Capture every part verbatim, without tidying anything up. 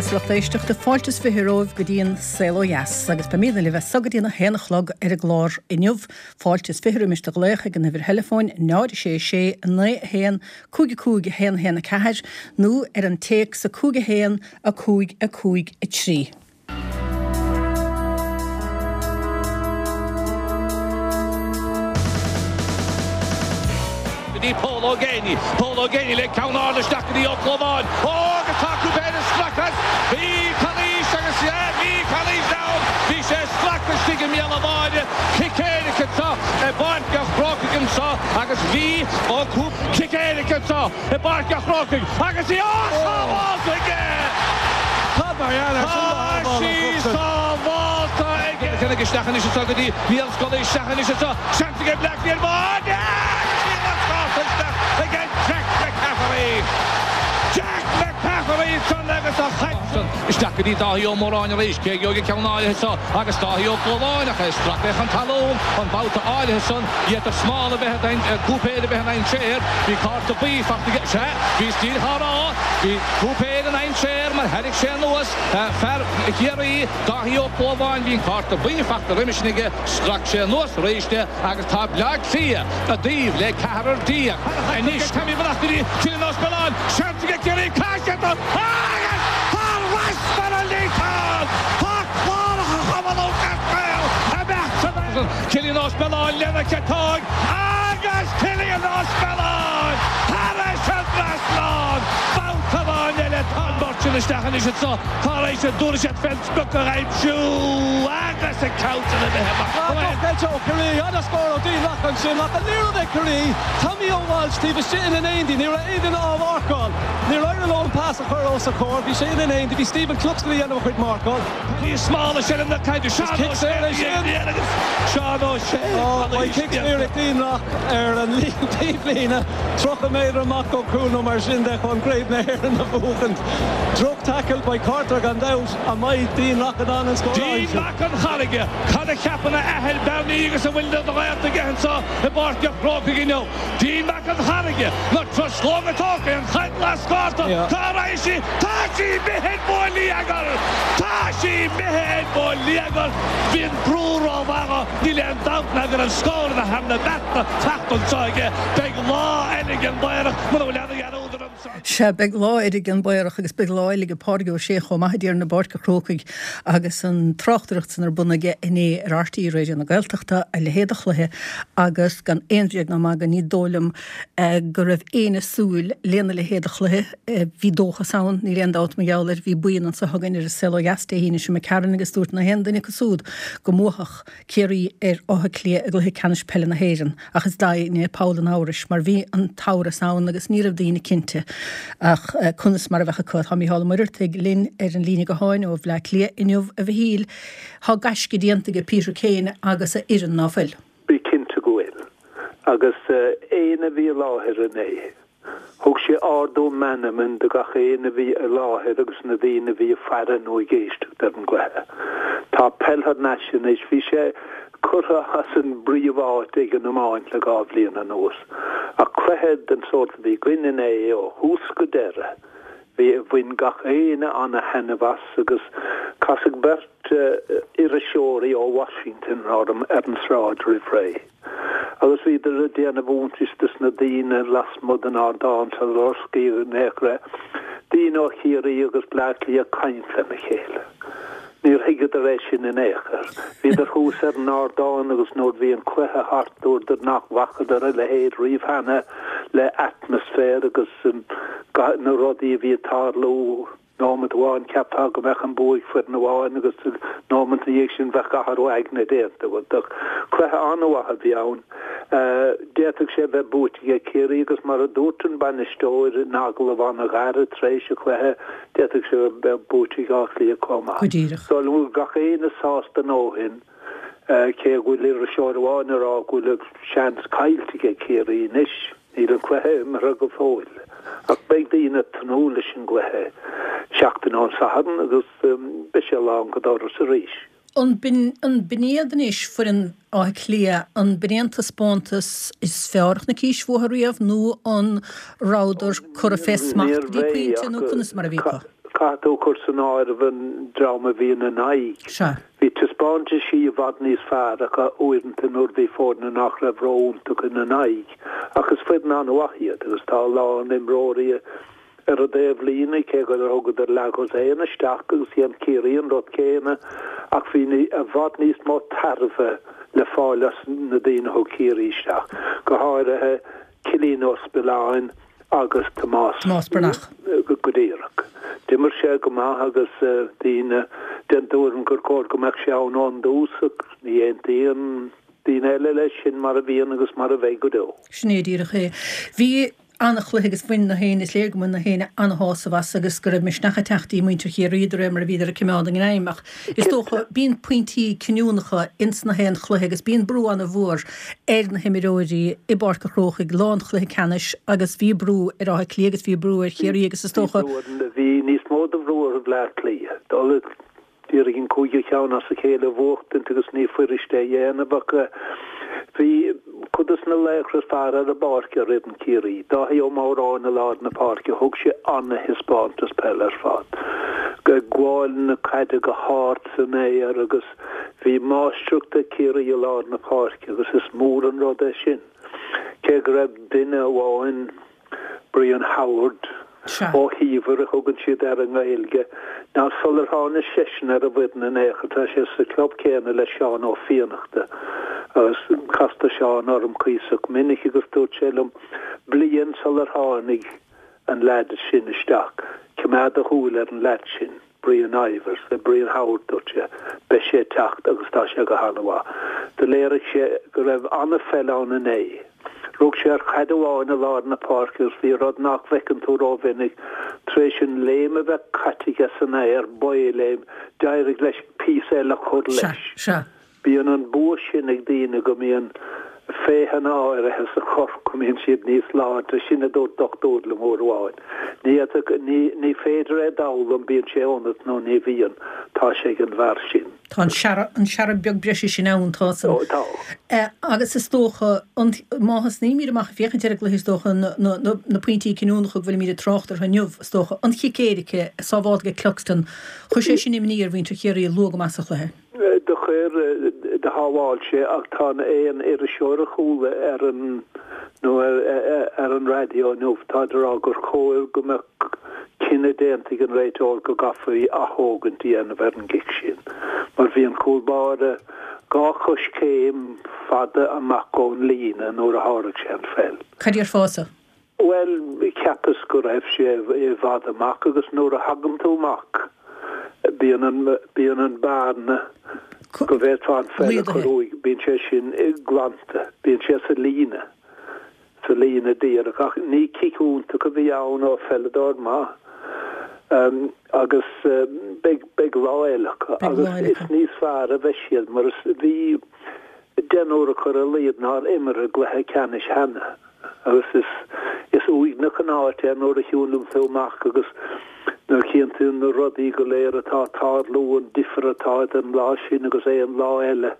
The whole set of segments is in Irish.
Agus lucht éisteachta fáilte is fiche romhaibh go dtí an Saol Ó Dheas agus beimidne libh as so go dtí a haon a chlog ar an gclár inniu. Fáilte is fiche roimis do ghlaoch ag an uimhir theileafóin náid sé sé naoi a haon cúig a cúig a haon haon a ceathair nó ar an téacs a cúig a haon a cúig a cúig a trí. Go dtí Pól Ó Géibheannaigh, Pól Ó Géibheannaigh le ceann ard isteach go dtí Ó Clobháin. Ó agus tá Cúipéir ag stracadh. Bhí calaois agus bhí calaois ann. Bhí sé ag stracadh istigh i mbéal an bháide. Cic éirice anseo i bPáirc an Chrócaigh anseo agus bhí Ó Cú Cic éirice anseo i bPáirc an Chrócaigh agus í á sábhálta aige! Tá sí sábhálta aige! Chonaic isteach anois anseo go dtí Niall Scully isteach anois anseo. Seans aige Bleá Cliath ar bháide agus níl an scór isteach aige Jack McCaffery. Jack McCaffery ansan agus a chaid san isteach go dtí Dáithí Ó Móráin arís. Cé a gheobhaidh an ceann áirithe seo agus Dáithí Ó Clobháin ach é stractha chun talún an babhta áirithe san. D'fhéadfadh smál a bheith in Cúipéir a bheith i ndainséar. Bhí cárta buí fachta aige. Sea, bhí stíl á rá. Bhí Cúipéir i ndainséar mar thairrig sé anuas fear Chiarraí, Dáithí Ó Clobháin. Bhí an cárta buí fachta roimis sin aige. Strac sé anuas arís é agus tá Bleá Cliath i dtaobh le ceathrar déag anois. Tommy amach go dtí Cillian Ó Spealáin, seans aige Ciarraí, caith sé dó agus thar ais mar an líontán! Tá cláracha Chumann Lúthchleas Gael imeacht san aer. Cillian Ó Spealáin lena chiotóg agus Cillian Ó Spealáin thar ais an trasnán! Babhta amháin eile tá an beirt sin isteach anois anseo tar éis a dtabharfaidh siad fén sprioc a aimsiú agus an ceann sin imithe amach. Droch-eitilt ó Chiarraí, ana-scór ó Dean Rock ansin ach an liathróid ag Ciarraí, Tommy Ó Walsh taobh istigh ina n-éindí, ní raibh aon duine á mharcáil. Níor éirigh leo an pas a chur os a chomhair, bhí sé ina n-éindí, bhí Stephen Cluxton ag déanamh a chuid marcáil. Bhí smál seilbh na caide, Seán Ó Sé a bhí ag agus Seán Ó Sé. Beidh cic saor ag Dean Rock ar an taobhlíne, tríocha méadar amach ó chúl nó mar sin de chun Craobh na hÉireann a bhuachaint. Droch tackle, beidh cárta air gan dabht. An mbeidh Dean Rock in ann an scór a Dean aimsiú? Mac an Charraige, cad a cheapann a athair Bernie agus a bhfuil de ghaolta aige anseo i bPáirc an Chrócaigh inniu? Dean Mac an Charraige, na truslóga tógtha, an chaid lascárta, cá raghaidh sí? Tá sí imithe ar bhonneagar! Tá sí imithe ar bhonneagar! Bhí an brú rómhaith, níl aon dabht ná go raibh scóranna thar na bearta teacht anseo aige. Beidh lá eile ag an bPaorach mura bhfuil aon ghearúd orm. Sea, beidh lá eile ag an bPaorach agus beidh lá eile ag Pádraig Ó Sé chomh maith, a Thiarna i bPáirc an Chrócaigh agus an tráchtaireacht san ar bun aige inné ar RTÉ Raidió na Gaeltachta, a leithéid de chluiche agus gan aon bhréag ná magadh ní dóigh liom go raibh éinne súil lena leithéid de chluiche. Bhí dóchas ann, níl aon dabht mar gheall air. Bhí buíon anseo againn ar an Saol Ó Dheas Dé hAoine seo imigh tharainn agus dúirt na haon duine acu súd go mbuafadh Ciarraí ar Áth Cliath i gcluiche ceannais peile na hÉireann ach is daoine é poll an amhrais mar bhí an t-amhras ann agus ní raibh daoine cinnte ach conas mar a bheadh acu. Tá Mícheál Ó Muircheartaigh linn ar an líne gutháin ó Bhleá Cliath inniu a Mhichíl. Tá gaisce déanta aige Peter Kane agus a fhoireann, ná fuil? Bí cinnte go bhfuil. Agus éinne a bhí i láthair inné. Thug sé ardú meanman do gach éinne a bhí i láthair agus na daoine a bhí ag faire nó ag éisteacht ar an gcluiche. Tá peil thar n-ais anois. Bhí sé curtha as an bpríomháit ag an iomáint le dhá bhliain anuas. Ach cluiche den sórt a bhí againn inné ó thús go deireadh, bhí, bhain gach éinne ana-thaitneamh as agus casadh beirt iriseoirí ó Washington orm ar an sráid roimh ré. Agus bhíodar ag déanamh iontais dos na daoine lasmuigh den ardán sular osclaíodh in aon chor é, daoine ó Chiarraí agus Bleá Cliath ag caint lena chéile. Níor thuigeadar é sin in aon chor. Bhíodar thuas ar an ardán agus nuair bhí an cluiche thart dúradar nach bhfacadar a leithéid riamh cheana le atmaisféar agus na rudaí a bhí ag tarlú. Nóimeat amháin cheapfá go mbeadh an bua ag foireann amháin agus nóimeat ina dhiaidh sin bheadh athrú aigne déanta. Cluiche an-mhaith a bhí ann. D'fhéadfadh sé a bheith buaite ag Ciarraí agus mar a dúirt an bainisteoir in agallamh an-ghairid tar éis an chluiche, d'fhéadfadh sé a bheith buaite ag Áth Cliath chomh maith. Go díreach. Dóigh liom go bhfuil gach éinne sásta a ndóthain, cé go bhfuil iriseoir amháin ag rá go bhfuil seans caillte ag Ciarraí anois. Níl an cluiche imeartha go fóill, ach beidh daoine ag tnúth leis an gcluiche seachtain ón Satharn agus beidh sé lán go doras arís. An b'in iad anois foireann Átha Cliath, an b'in é an taispeántas is fearr a chonaicís uathu riamh nó an rabhadar curtha fé smacht go dtí pointe nó conas mar a bhí acu? Caithfidh tú cur san áireamh an dream a bhí ina n-aghaidh. Sea. Bhí taispeántaisí i bhfad níos fearr acu uaireanta nuair bhí foirne nach raibh ró-iontach ina n-aghaidh. Ach is foireann an-mhaith iad agus tá a lán imreoirí ar an dtaobhlíne, cé gur thugadar leathdhosaen isteach agus dhein Ciarraí an rud céanna, ach bhí i bhfad níos mó tairbhe le fáil as na daoine a thug Ciarraí isteach, go háirithe Cillian Ó Spilláin agus Tomás Tomás Breathnach. Go díreach. D'imir sé go maith agus daoine den tuairim gur chóir go mbeadh sé ann ón dtús ach ní aontaíonn daoine eile leis, sin mar a bhíonn agus mar a bheidh go deo. Sin é díreach é. Bhí an-chluiche agus bhain na héinne, is léir go mbain na héinne an-shásamh as agus go raibh misneach ag teacht i muintir Chiarraí de réir mar a bhíodar ag coimeád a ngreim ach is dócha bíonn pointí cinniúnacha ins na haon chluiche agus bíonn brú an-mhór ar na himreoirí i bPáirc a' Chrócaigh lá an chluiche ceannais agus bhí brú ar Áth Cliath agus bhí brú ar Chiarraí agus is dócha Bhí níos mó de bhrú ar Bhleá Cliath. Dul d'iarraidh an cúigiú ceann as a chéile a bhuachtaint agus ní fuirist é a dhéanamh ach bhí cuid de na laochra is fearr ar an bpáirc ar fhoireann Chiarraí. Dáithí Ó Móráin i lár na páirce, thug sé an-thaispeántas peile ar fad. Ag gabháil na caide go hard san aer agus bhí máistreacht ag Ciarraí i lár na páirce agus is mór an rud é sin. Cé go raibh duine amháin, Brian Howard, Ó hÍomhair a thugann siad air i nGaeilge, ná sular tháinig seisean ar an bhfoireann in aon chor, tá sé sa chlub céanna le Seán Ó Fiannachta agus castar Seán orm cuíosach minic agus dúirt sé liom bliain sular tháinig an leaid sin isteach, coimeád do shúil ar an leaid sin. Brian Ivers, Brian Howard, dúirt sé, beidh sé ag teacht agus tá sé go han-mhaith. Do léirigh sé go raibh an-pheil ann inné. Rug sé ar chaid amháin i lár na páirce agus bhí rud nach bhfeiceann tú rómhinic, tar éis an léim a bheith caite aige san aer, baothléim, d'éirigh leis píosa eile a chur leis. Sea, sea. Bíonn an bua sin ag daoine go mbíonn féitheanna áirithe sa chorp, go mbíonn siad níos láidre, sin a dúirt dochtúir liom uair amháin. Ní fhéadfadh, ní, ní féidir é d'fhoghlaim, bíonn sé ionat nó ní bhíonn, tá sé ag an bhfear sin. Tá an searradh, an searradh beag breise sin ann, tá san. Ó, tá. Agus is dócha, an, má thosnaímid amach ag féachaint ar an gcluiche, is dócha, na, na, na, na pointí cinniúnacha go bhfuilimid ag trácht orthu inniu, is dócha, an chic éirice sábhálta ag Cluxton, chuir sé sin imní ar mhuintir Chiarraí luath go maith sa chluiche. Do chuir, do shábháil sé ach tá aon iriseoir a chuala ar an nó ar an raidió inniu, táid ag rá gur chóir go mbeadh cinneadh déanta ag an réiteoir go gcaithfí athógaint a dhéanamh ar an gcic sin mar bhí an cúl báire dhá choiscéim fada amach ón líne nuair a sháraigh sé an pheil. Cad déarfása? Bhuel, cheapas go raibh sé i bhfad amach agus nuair a thagann tú amach, bíonn an, bíonn an bearna go bhféadfá an pheil a chur uaidh, bíonn sé sin glanta, bíonn sé sa líne, sa líne díreach. Ach ní cic iontach a bhí ann ó pheileadóir maith. Agus beidh, beidh lá eile acu agus is níos fearr a bheidh siad mar is, bhí deichniúr acu ar a laghad nár imir i gcluiche ceannais cheana. Agus is is uaigneach an áit é nuair a shiúlann tú amach agus nuair a chíonn tú na rudaí go léir atá ag tarlú, an difear atá idir an lá sin agus aon lá eile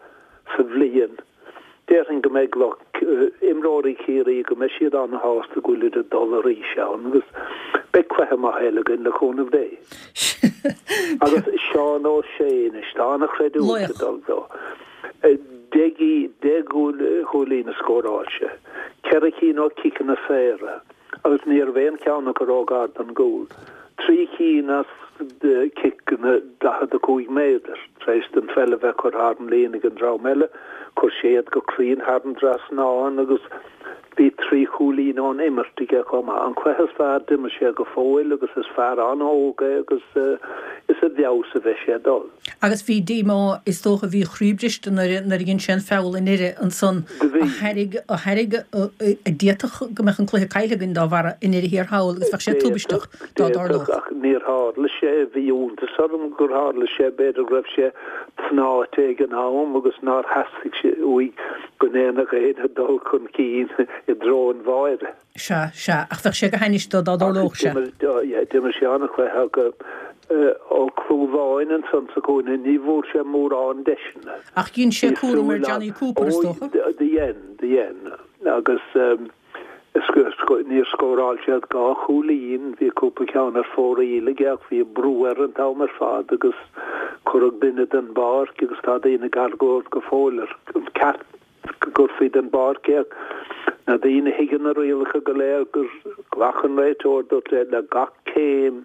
sa bhliain. Déarfainn go mbeidh lucht imreoirí Chiarraí, go mbeidh siad an-shásta go bhfuilid ag dul arís ann agus beidh cluiche maith eile againn le cúnamh Dé. Agus Seán Ó Sé anois, tá an-chreidiúint ag dul dó. Deich deich gcúilín a scóráil sé, ceithre cinn ó chiceanna saora agus ní raibh aon cheann acu róghar don gcúl, trí cinn as ciceanna daichead a cúig méadar. Tar éis don pheil a bheith curtha thar an líne ag an dream eile, chuir sé iad go cruinn thar an dtrasnán agus bhí trí chúilín ón imirt aige chomh maith. An cluiche is fearr d'imir sé go fóill agus is fear an-óg é agus is i bhfeabhas a bheidh sé ag dul. Agus bhí díomá, is dócha, bhí a chroí briste nuair a nuair a dhein sé an feall i ndeireadh ansan Do bhí. a thairg a thairg a d'fhéadfadh go mbeadh an cluiche caillte againn dá bharra i ndeireadh thiar thall agus bheadh sé tubaisteach D'fhéadfadh, dá d'fhéadfadh dtarlódh. ach níor tharla sé. Bhí iontas orm gur tharla sé, b'fhéidir go raibh sé tnáite ag an am agus nár theastaigh sé uaidh go ndéanfadh éinne dul chun cinn i dtreo an bháire. Sea, sea, ach bheadh sé go hainnis dá Ach dtarlódh sé. d'imir, yeah, d'imir sé an-chluiche ach Ó Clúmháin ansan sa chúinne, ní bhfuair sé mórán deiseanna. Ach dhein sé Bhí cúram ar súil Johnny ann. Cooper, is Ó, dócha. do dhein, do dhein. Agus Níor scóráil siad dhá chúilín, bhí cúpla ceann ar fóraoil aige ach bhí brú air an t-am ar fad agus cuireadh duine den bpáirc agus tá daoine ag argóint go fóill ar an ceart go gcuirfí den bpáirc é. Na daoine a thuigeann na rialacha go léir gur ghlac an réiteoir dúirt le gach céim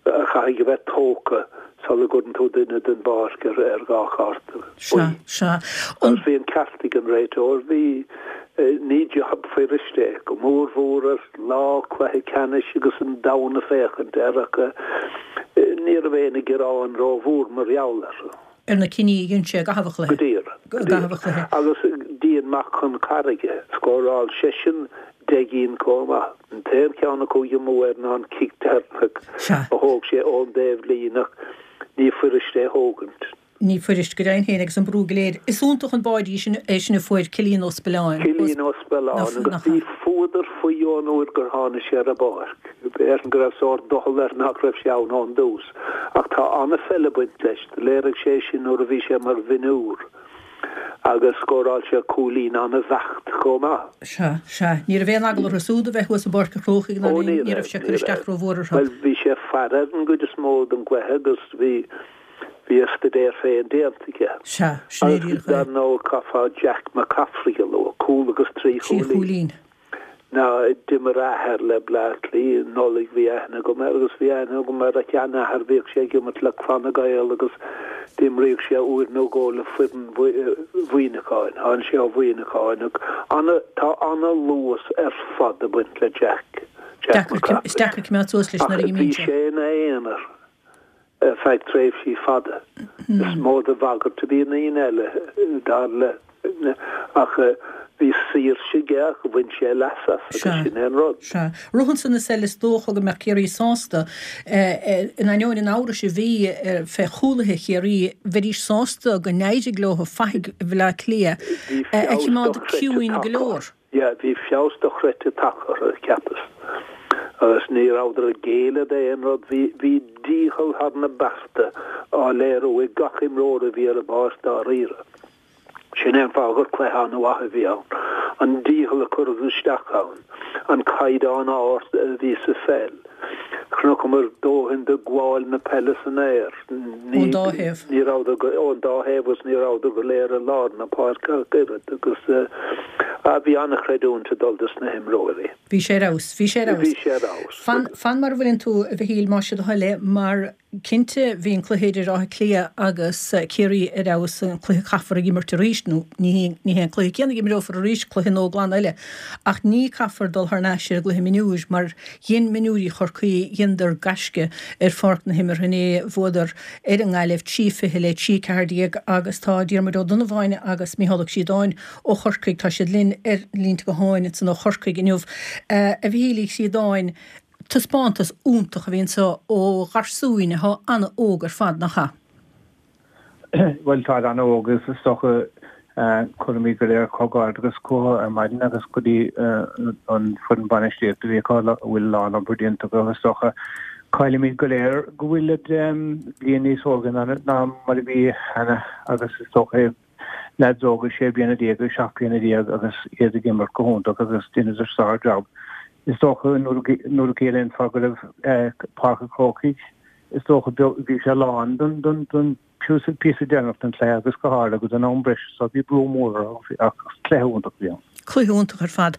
a chaithfidh a bheith tógtha sula gcuireann tú duine den bpáirc ar ar dhá chárta Sea, sea. Agus bhí an ceart ag an réiteoir, bhí, ní jab fuirist é, go mór mhór ar lá cluiche ceannais agus an domhan ag féachaint air ach ní raibh aon ghearán rómhór mar gheall air. ar na cinní a dhein sé i gcaitheamh an chluiche. Go díreach, go díreach. Agus Dean Mac Con Carraige, scóráil seisean deich gcinn chomh maith. An t-aon cheann a chuaigh amú air ná an cic deireanach a thóg sé ón dtaobhlíne ach ní fuirist é a thógaint. Ní fuirist, go deimhin féin, agus an brú go léir. Is iontach an báide sin é sin a fuair Cillian Ó Spilláin. Cillian Ó Spilláin agus bhí fuadar faoi ón uair gur tháinig sé ar an bpáirc. B'fhéidir go raibh sórt doicheall air nach raibh sé ann ón dtús. Ach tá an-pheil ag baint leis. Do léirigh sé sin nuair a bhí sé mar mhionúr agus scóráil sé cúilín an-bheacht chomh maith. Sea, sea. Ní raibh aon eagla orthu súd a bheith thuas i bPáirc an Chrócaigh ná Ó, ní ní raibh raibh, sé ag ní cur isteach raibh. rómhór orthu. Bhuel, bhí sé ag faire ar an gcuid is mó den gcluiche agus bhí, bhí a staidéar féin déanta aige. Sea, sin é Agus díreach é. dar ndóigh caithfeá Jack McCaffrey a lua, cúl agus trí Trí chúilín. chúilín. Ná d'imir a athair le Bleá Cliath, Nollaig bhí aithne agam air agus bhí aithne agam ar a sheanathair, bhíodh sé ag imirt le Clanna Gael agus d'imríodh sé uair nó dhó le foireann Mhuineacháin, tháinig sé ó Mhuineacháin ach ana, tá ana-luas ar fad ag baint le Jack, Jack Deacair, is McCaffrey. deacair coimeád suas leis Ach nuair a bhí imíonn sé. sé ina aonar ar feadh tréimhsí fada. Is mó de bhagairt a bhí i ndaoine eile, dar le, ach bhí saoirse aige ach bhain sé leas as agus Sea. sin é an rud. Sea. Rud ansan is eile is dócha go mbeadh Ciarraí sásta, in ainneoin an amhrais a bhí fé chúlaithe Chiarraí, bheidís sásta go n-éirigh leo fathaigh Bhaile Átha Cliath Bhí a feabhas choimeád dochreidte ciúin go tagtha. leor. Yeah, bhí feabhas dochreidte tagtha orthu, cheapas. Agus ní rabhadar ag géilleadh d'aon rud. Bhí, bhí dícheall thar na bearta á léiriú ag gach imreoir a bhí ar an bpáirc dáiríre. Sin é an fáth gur cluiche an-mhaith a bhí ann. An dícheall a cuireadh isteach ann, an caighdeán ard a bhí sa pheil. Chonaiceamar dóthain de ghabháil na peile san aer. Ní, Ón dá thaobh. ní rabhadar go, ón dá thaobh agus ní rabhadar go léir i lár na páirce ach oiread agus eh, bhí an-chreidiúint ag dul dos na himreoirí. Bhí sé ar fheabhas, bhí sé ar Bhí fheabhas. sé ar fheabhas. Fan, fan mar a bhfuileann tú, a Mhichíl, más é do thoil é, mar cinnte bhí an cluiche idir Áth Cliath agus Ciarraí ar fheabhas, an cluiche caithfear ag imirt arís, nó ní ní hé an cluiche céanna a imreofar arís, cluiche nua glan eile, ach ní caithfear dul thar n-ais ar an gcluiche mionúir mar dhein mionúirí Chorcaí dheineadar gaisce ar pháirc na himeartha inné, bhuadar ar an nGaillimh trí fiche le trí ceathair déag agus tá Diarmuid Ó Donnabháin agus Mícheál Ó Críodáin ó Chorcaigh, tá siad linn ar línte gutháin ansan ó Chorcaigh inniu. A Mhichíl Uí Chríodáin, taispeántas iontach a bhí anseo ó gharsúin atá an-óg ar fad, nach ea? Bhuel tá an-óg is is dócha cuirimid go léir comhghairdeas chucu ar maidin agus go dtí an foireann bainistíochta a bhí acu a bhfuil lán-obair déanta acu is dócha caillimid go léir go bhfuil bliain níos óige ná ná mar a bhí cheana agus is dócha leaids óga sé bliana déag agus seacht bliana déag agus iad ag imirt go hiontach agus dheineadar sár-jab. Is dócha nuair a chéile fá go raibh Páirc an Chrócaigh is dócha bhí sé lán don don don píosa píosa deireanach den chluiche agus go háirithe agus an am breise so bhí brú mór ach cluiche iontach a bhí ann. Cluiche iontach ar fad.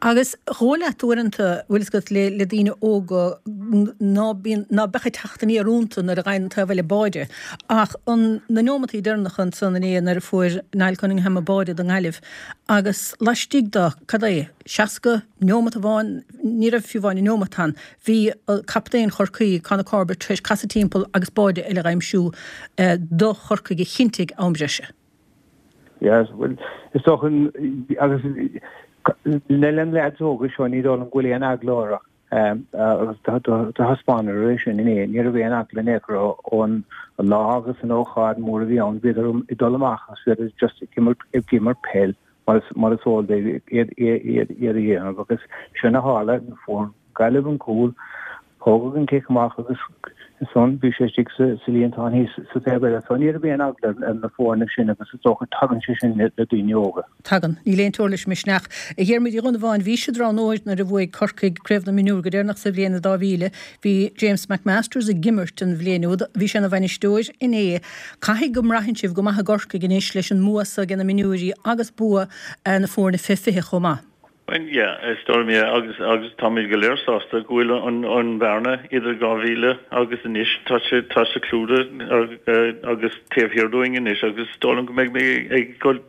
Agus dhóigh leat uaireanta bhfuil fhios agat le le daoine óga ná bíonn ná beadh ag teacht aniar iontu nuair a fhaigheann an taobh eile báide. Ach an na neomataí deireanacha ansan inné nuair a fuair Niall Cunningham an báide don nGaillimh agus laistigh de cad é seasca neomat amháin ní raibh fiú amháin neomat ann bhí captaen Chorcaí Conor Corbett tar éis casadh timpeall agus báide eile a aimsiú do Chorcaigh a chinntigh am breise. Yes, well, is dócha agus le an leaids óga seo ní dóigh liom go bhfuil aon eagla orthu agus do thaispeánadar é sin inné ní raibh aon eagla in aon chor ón lá agus an ócáid mór a bhí ann bhíodar ag dul amach agus bhíodar just ag imirt ag imirt peil mar is mar is eol dóibh iad iad iad a dhéanamh agus sin a tharla fuair Gaillimh an cúl Thógadh an cic amach agus ansan bhí sé istigh sa líontán thíos sa taobh eile. So ní raibh aon eagla ar na foirne sin agus is dócha tagann sé sin le daoine óga. Tagann. Níl aon teora leis an misneach. A Dhiarmuid Uí Dhonnabháin, bhís i dTrá nuair a bhuaigh Corcaigh Craobh na Mionúr go deireanach sa bhliain dhá mhíle. Bhí James McMasters ag imirt an bhliain úd. Bhí sé ina bhainisteoir inné. Caithfidh go mbraitheann sibh go maith i gCorcaigh anois leis an mbua so ag na mionúirí agus bua na foirne fé fiche chomh maith. Well yeah, is dóigh liom yeah agus agus táimid go léir sásta go bhfuil an an bhearna idir dhá mhíle agus anois tá sé tá sé clúdaithe agus taobh thiar dúinn anois agus is dóigh liom go mbeidh mé ag dul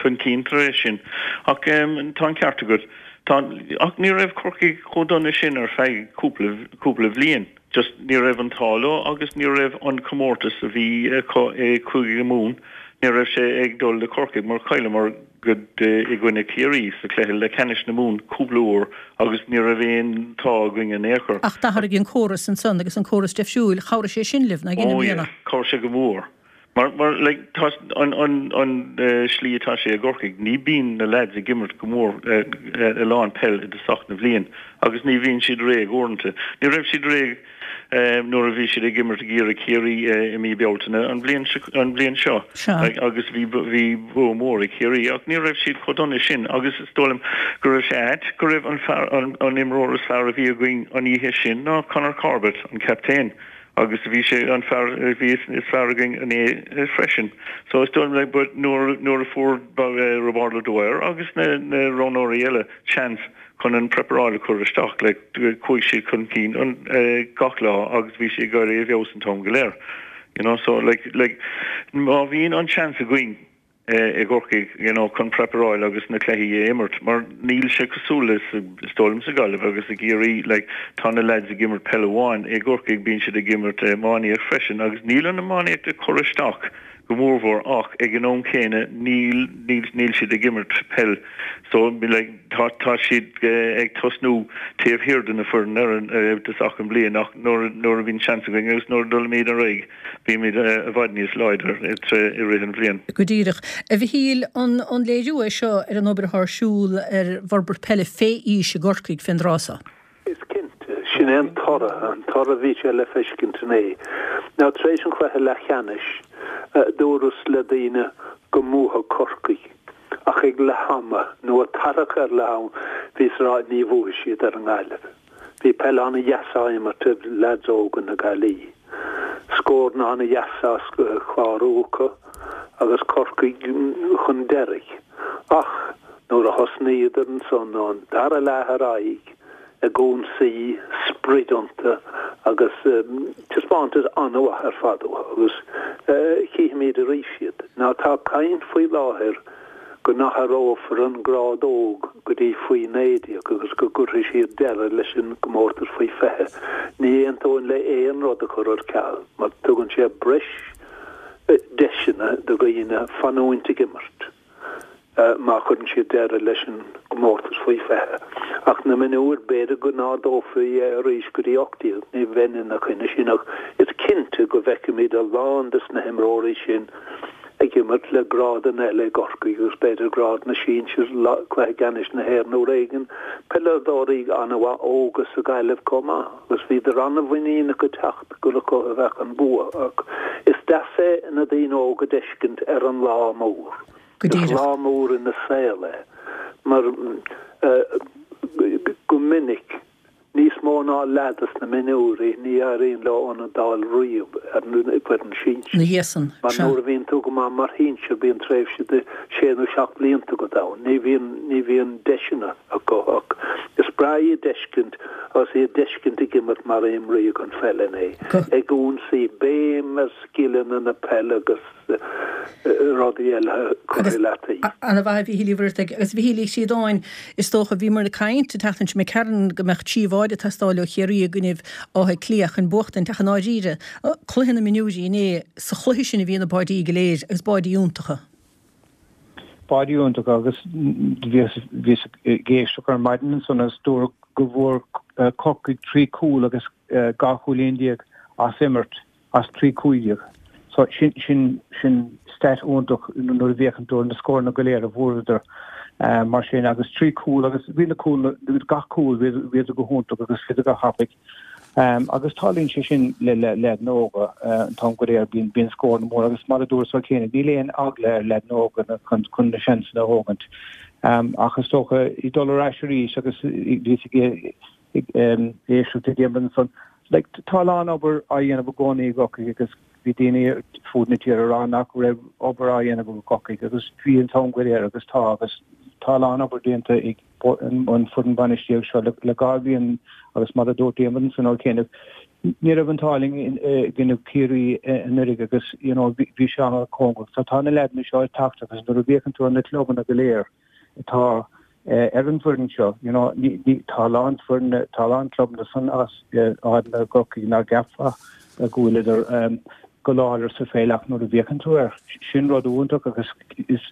chun cinn tar éis sin. Ach tá an ceart agat. Tá ach ní raibh Corcaigh chomh dona sin ar feadh cúpla cúpla bhliain. Just ní raibh an t-ádh leo agus ní raibh an comórtas a bhí acu i Cúige Mumhan ní raibh sé ag dul le Corcaigh mar chailleamar go i gcoinne Ciarraí sa chluiche leathcheannais na Mumhan cúpla uair agus ní raibh aon t-ádh againn in aon chor. Ach d'athraigh an córas ansan agus an córas deifriúil, chabhraigh sé sin libh, nach ea, i Oh mbliana? yeah, chabhraigh sé go mór. Mar, mar, like, tá an, an, an slí atá sé i gCorcaigh, ní bíonn na lads ag imirt go mór a lán peil i dtosach na bhliain agus ní bhíonn siad réidh uaireanta. Ní raibh siad réidh nuair a bhí siad ag imirt ag iarraidh Ciarraí i mí Bealtaine an bhliain an bhliain seo agus bhí bhí bua mór ag Ciarraí ach ní raibh siad chomh dona sin agus is dóigh liom go raibh sé ait go raibh an fear an an imreoir is fearr a bhí againn an oíche sin ná Conor Corbett an captaen agus bhí sé an fear a bhí is fearr againn inné freisin so is dóigh liom like but nuair nuair a fuair Roibeárd O'Dwyer agus na na roghnóirí eile seans chun an preparáil a chur isteach like chuaigh siad chun cinn an gach lá agus bhí sé ag éirí i bhfeabhas an t-am go léir you know so like like má bhíonn an seans againn i gCorcaigh you know chun preparáil agus na cluichí a imirt mar níl sé cosúil le is dóigh liom sa Ghaillimh agus i gCiarraí like tá na lads ag imirt peil amháin i gCorcaigh bíonn siad ag imirt iománaíocht freisin agus níl an iománaíocht ag cur isteach go mórmhór ach ag an am céanna níl níl níl siad ag imirt peil so like tá tá siad ag tosnú taobh thiar de na foireann ar an i dtosach an bhliain ach nuair nuair a bhíonn seans againn agus nuair a dulaimid ar aghaidh bímid i bhfad níos láidir i rith an bhliain. Go díreach. A Mhichíl, an an léiriú é seo ar an obair atá ar siúl ar bhforbairt peile fé aois i gCorcaigh fén dtráth seo? Is cinnte, sin é an toradh, an toradh a bhí sé le feiscint inné. Now tar éis an chluiche leathcheannais, dúras le daoine go mbuafadh Corcaigh, ach ag leath ama, nó ag tarrac ar leath am, bhíos a rá ní bhuafaidh siad ar an nGaillimh. Bhí peil an-dheas á imirt ag leaids óga na Gaillimhe. Scóranna an-dheas á chlárú acu agus Corcaigh chun deiridh. Ach nuair a thosnaíodar ansan ón dara leath ar aghaidh, ag ionsaí, sprid iontu agus taispeántas an-mhaith ar fad uathu agus chífimid arís iad. Now tá caint faoi láthair go n-athrófar an grád óg go dtí faoi naoi déag agus go gcuirfidh siad deireadh leis an gcomórtas faoi fiche. Ní aontóinn le aon rud a chur ar ceal mar tugann sé breis deiseanna do dhaoine fanúint ag imirt. má chuireann siad deireadh leis an gcomórtas faoi fiche. Ach na mionúir, b'fhéidir go n-ardófaí é arís go dtí ocht déag, ní bheinn ina choinne sin ach is cinnte go bhfeicfimid a lán des na himreoirí sin ag imirt le grádanna eile i gCorcaigh agus b'fhéidir grád na sinsir, cluiche ceannais na hÉireann uair éigin, peileadóirí an-mhaith óga sa Ghaillimh chomh maith agus bhíodar an-mhuiníneach ag teacht gur acu a bheadh an bua ach is deas é na daoine óga d'fheiscint ar an lá mór. Go Is díreach. lá mór ina saol é mar go minic, níos mó ná leaid sna mionúirí, ní éiríonn leo ionad d'fháil riamh ar an bhfoireann sinsir. Ina dhiaidh san, Mar sea. nuair a bhíonn tú go maith mar shinsir bíonn tréimhse de sé nó seacht blianta agat ann. Ní bhíonn, ní bhíonn deiseanna acu ach is breá iad d'fheiscint agus iad d'fheiscint ag imirt mar a imríodh an pheil inné, Go. ag ionsaí, béim ar scileanna na peile agus. rudaí eile curtha Agus i leataobh. ana-mhaith a Mhichíl Uí Mhuircheartaigh. Agus a Mhichíl Uí Chríodáin, is dócha, bhíomar ag caint an tseachtain seo imigh tharainn go mbeadh trí bháide ag teastáil ó Chiarraí i gcoinnibh Átha Cliath chun buachtaint ach i ndáiríre, cluiche na mionúirí inné, sa chluiche sin a bhí na báidí go léir agus báidí iontacha. Báidí iontacha agus bhíos bhíos ag éisteacht ar maidin ansan agus dúradh go bhfuair Corcaigh trí chúl agus dhá chúilín déag as imirt. as trí cúig déag. So sin sin sin stat iontach nuair a bhféachann tú ar na scóranna go léir a bhfuaireadar mar sin agus trí cúl agus bhí na cúl gach cúl bhíodar go hiontach agus bhíodar go thapaidh Agus tarlaíonn sé sin le leaideanna óga an t-am go léir, bíonn bíonn scóranna móra agus mar a dúras cheana, níl aon eagla ar leaideanna óga chun chun na seansanna a thógaint. Ach is dócha ag dul ar ais arís agus bhíos ag éisteacht le Diarmuid ansan, like tá a lán obair á dhéanamh i gcónaí i gCorcaigh agus bhí daoine fud na tíre ag rá nach raibh obair á dhéanamh i gCorcaigh agus bhí an t-am go léir agus tá agus tá a lán obair déanta ag an foireann bainistíochta seo le dhá bhliain agus mar a dúirt Diarmuid ansan ó chianaibh, ní raibh an t-ádh linn i gcoinne Ciarraí anuraidh agus you know bhí sé an-chóngarach. So tá na leaideanna seo ag teacht agus nuair a bhféachann tú ar na clubanna go léir atá ar an bhfoireann seo, you know tá a lán foirne, tá a lán clubanna san as áiteanna i gCorcaigh nach gceapfá go bhfuileadar go láidir sa pheil ach nuair a bhféachann tú air, sin rud iontach agus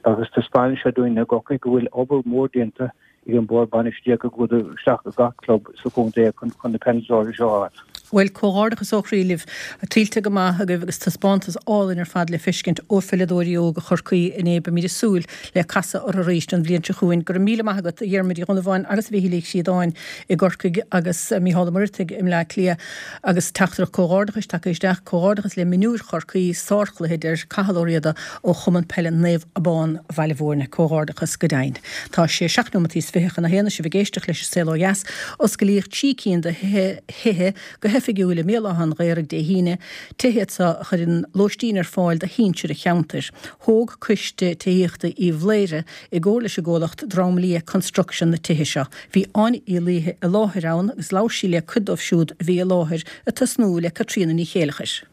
agus taispeánann sé dúinn i gCorcaigh go bhfuil obair mhór déanta ag an bord bainistíochta go bhfuil isteach i gach club sa chontae chun chun na peileadóirí seo a fháil. Bhuel, comhghairdeachas ó chroí libh. Tuillte go maith agaibh agus taispeántas álainn ar fad le feiscint ó pheileadóirí óga Chorcaí inné. Beimid ag súil le casadh orthu arís an bhliain seo chugainn. Go raibh míle maith agat, a Dhiarmuid Uí Dhonnabháin agus a Mhichíl Uí Chríodáin i gCorcaigh agus Mícheál Ó Muircheartaigh i mBleá Cliath. Agus teachtaireacht comhghairdeachais tagtha isteach, Comhghairdeachas le mionúir Chorcaí, sárchluiche, a deir Cathal Ó Riada ó Chumann Peile Naomh Abán, Bhaile Mhúirne. Comhghairdeachas go deimhin. Tá sé seacht nóimeataí is fiche chun a haon, sibh ag éisteacht leis an Saol Ó Dheas. Osclaíodh trí cinn de thithe go hoifigiúil i mBéal Átha an Ghaorthaidh Dé hAoine, tithe iad seo a chuireann lóistín ar fáil do shinsir an cheantair. Thóg Coiste Tithíochta Uíbh Laoghaire i gcomhar leis an gcomhlacht Drom Liath Construction na tithe seo. Bhí Áine Uí Laoithe i láthair ann agus labhair sí le cuid dóibh siúd a bhí i láthair, ag tosnú le Caitríona Ní Chéileachair.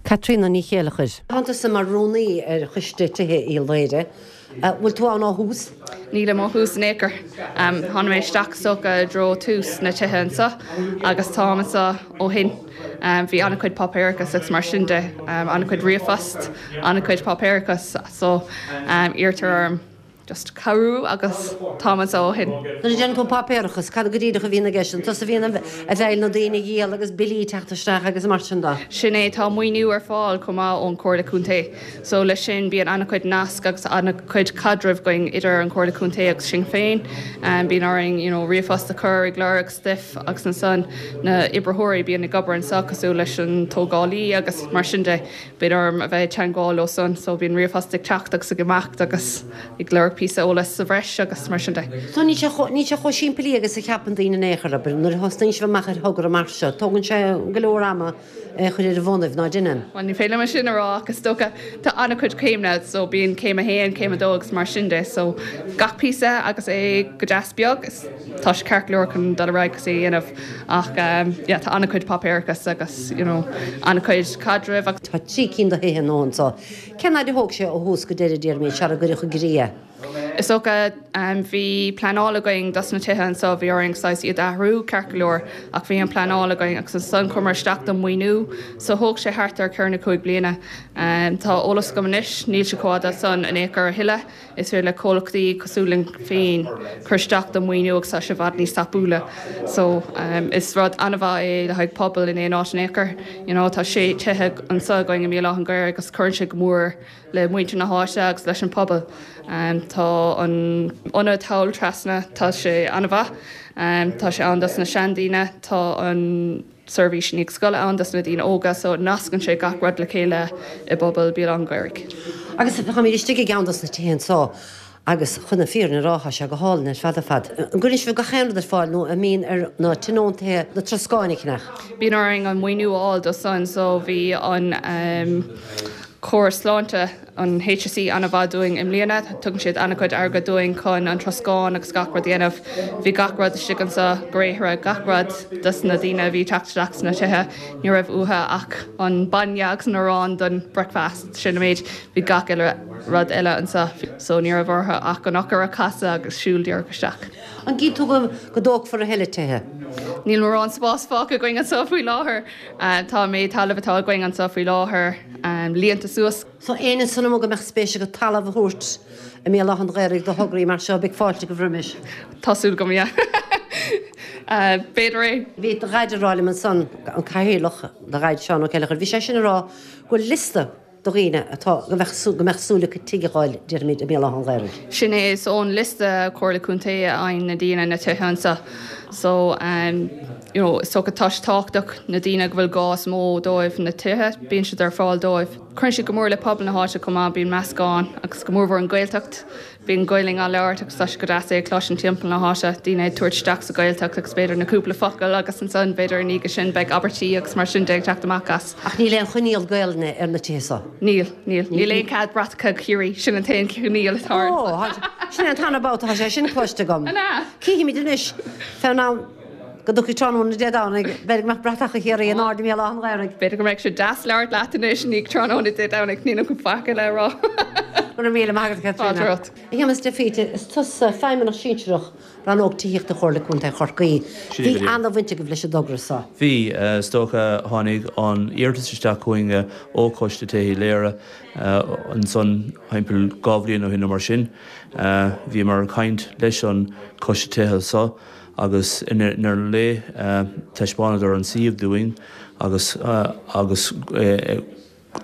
Caitríona Ní Chéileachair. Tá tusa mar rúnaí ar Choiste Tithe Uíbh Laoghaire. Bhfuil tú ann ó thús? Nílim ó thús in aon chor. Tháinig mé isteach is dócha i dtreo tús na tithe anseo agus táim anseo ó shin. Bhí an-chuid páipéarachas agus mar sin de, an-chuid ríomhphost, an-chuid páipéarachas so iarrtar orm just cabhrú agus táim anseo ó shin. Nuair a deireann tú páipéarachas, cad go díreach a bhíonn i gceist? An tusa a bhíonn ag feighil na daoine a dhíol agus billí ag teacht isteach agus mar sin de? Sin é, tá maoiniú ar fáil chomh maith ón Chomhairle Contae. So leis sin bíonn an-chuid nasc agus an-chuid caidrimh againn idir an Chomhairle Contae agus sinn féin. Bíonn orainn you know ríomhphost a chur ag lorg stuif agus ansan na oibritheoirí bíonn ag obair anseo cosúil leis an tógálaí agus mar sin de. Bíonn orm a bheith ag teagmháil leo san so bíonn ríomhphost ag teacht agus ag imeacht agus ag lorg píosa eolais sa bhreis agus mar sin de. So níl sé chomh, níl sé chomh simplí agus a cheapann daoine in aon chor, abair, nuair a thosnaíonn sibh amach ar thogra mar seo, tógann sé go leor ama é a chur ar a bhonnaibh, ná deineann? Bhuel ní féidir liom é sin a rá ach is dócha tá an-chuid céimeanna so bíonn céim a haon, céim a dó agus mar sin de so gach píosa agus é go deas beag is tá sé ceart go leor chun dul ar aghaidh agus é a dhéanamh ach yeah tá an-chuid páipéarachas agus you know an-chuid caidrimh agus. Tá trí cinn de thithe nua anseo. Cén fhad a thóg sé ó thús go deireadh, Diarmuid, sara gcuireadh i gcrích é? Is dócha bhí pleanáil againn dos na tithe anseo, bhí orainn saghas iad a athrú ceart go leor ach bhí an pleanáil againn agus ansan chuamar isteach don maoiniú so thóg sé thart ar ceithre nó cúig bliana. Tá eolas agam anois, níl sé chomh fada san in aon chor a thuilleadh. Is féidir le comhlachtaí cosúil linn féin cur isteach don mhaoiniú agus tá sé i bhfad níos tapúla. So is rud an-mhaith é le haghaidh pobal in aon áit in aon chor. You know tá sé tithe anseo againn i mBéal Átha an Ghaorthaidh agus cuireann sé go mór le muintir na háite agus leis an pobal. Tá an ionad thall trasna, tá sé an-mhaith. Tá sé ann dos na seandaoine, tá an. seirbhís i ndiaidh scoile ann dos na daoine óga so nascann sé gach rud le chéile i bpobal Béal Átha an Ghaorthaidh. Agus táimid istigh i gceann dos na tithe anseo agus chun na fírinne a rá tá sé go hálainn ar fad ar fad. An gcuireann sibh gach aon rud ar fáil nó an mbíonn ar na tionóntaithe na troscáin a cheannach? Bíonn orainn an maoiniú a fháil dó san so bhí an córas sláinte, an HSE an-mhaith dúinn i mbliana. Tugann siad an-chuid airgead dúinn chun an troscán agus gach rud a dhéanamh. Bhí gach rud istigh anseo, gréithre, gach rud dos na daoine a bhí ag teacht isteach sna tithe. Ní raibh uathu ach an bainne agus an arán don bricfeast, sin an méid. Bhí gach uile rud eile anseo so ní raibh orthu ach an eochair a chasadh agus siúl díreach isteach. An gcíonn tú go dtógfar a thuilleadh tithe? Níl mórán spás fágtha againn anseo faoi láthair. Tá an méid talaimh atá againn anseo faoi láthair líonta suas. So éinne ansan amuigh go mbeadh spéis acu talamh a thabhairt i mBéal Átha an Ghaorthaidh do thograí mar seo, beidh fáilte agaibh roimis. Tá súil agam, yeah. B'fhéidir é. Bhí do dhaid ag rá liom ansan, an cathaoirleach, do dhaid Seán Ó Céileachair, bhí sé sin ag rá go bhfuil liosta do dhaoine atá, go mbeadh súil, go mbeadh súil acu tigh a fháil, déarfaimid, i mBéal Átha an Ghaorthaidh. Sin é, is ón liosta Comhairle Contae a fhaigheann na daoine na tithe anseo. So, um, you know, is dócha tá sé tábhachtach na daoine go bhfuil gá is mó dóibh na tithe, bíonn siad ar fáil dóibh. Cuireann siad go mór le pobal na háite chomh maith, bíonn meascán agus go mórmhór an Ghaeltacht, bíonn Gaelainn á labhairt agus tá sé go deas é a chloisint timpeall na háite, daoine ag tabhairt isteach sa Ghaeltacht agus b'fhéidir na cúpla focal agus ansan b'fhéidir ina dhiaidh sin beidh abairtí agus mar sin de ag teacht amach as. Ach níl aon choinníoll Gaelainne ar na tithe seo? Níl, níl. Níl aon cead bratacha Chiarraí, sin an t-aon choinníoll atá ann. Ó, sin é an t-aon babhta atá sé sin cloiste agam. An ea? Cífimid anois fén am go dtiocfaidh tráthnóna Dé Domhnaigh, b'fhéidir go mbeadh bratacha Chiarraí in airde i mBéal Átha an Ghaorthaidh. B'fhéidir go mbeidh sé deas labhairt leat anois i ndiaidh tráthnóna Dé Domhnaigh, níl agam faic eile a rá. Go raibh míle maith agat, Fáilte Caitríona. romhat. A Shéamuis de Faoite, is tusa Feidhmeannach Sinsearach Rannóg Tithíochta Chomhairle Contae Chorcaí. Sin é Bhí go díreach. ana-bhaint agaibh leis an dtogra seo. Bhí. Is dócha, tháinig an iarratas isteach chugainn ó Choiste Tithe Uí Laoire ansan thimpeall dhá bhliain ó shin nó mar sin. Bhíomar ag caint leis an Choiste Tithe seo agus i ndeireadh an lae taispeánadar an suíomh dúinn agus agus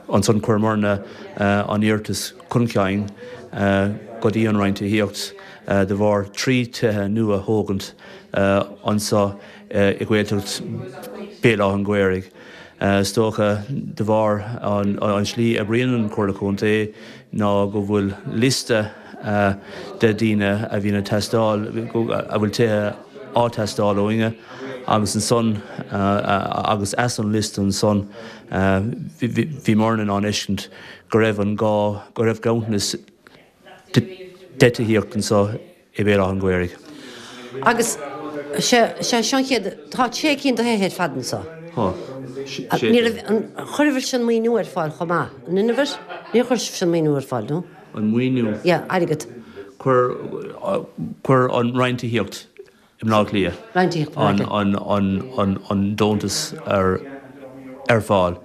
ansan chuireamarna an iarratas chun cinn go dtí an Roinn Tithíocht de bharr trí tithe nua a thógaint anso i Gaeltacht Béal Átha an Ghaorthaidh. Is dócha de bharr an slí a oibríonn an Chomhairle Contae ná go bhfuil liosta de daoine a bhíonn ag teastáil, a bhfuil tithe á teastáil uainne agus ansan agus as an liosta ansan bhíomarna in ann fheiscint go raibh an gá, go raibh ganntanas de tithíocht anso i Béal Átha an Ghaorthaidh. Agus sé seo an chéad, tá sé cinn de thithe ar fad anso. Tá, sé Ní raibh, an, chuireabhair-se an maoiniú ar fáil chomh maith? An inbhir? Níor chuir sibhse an maoiniú ar fáil, nó? An maoiniú? Yeah, airgead. Chuir, chuir an Roinn Tithíocht i mBleá Cliath Roinn Tithíocht i mBleá an, Cliath. an, an, an, an deontas ar, ar fáil.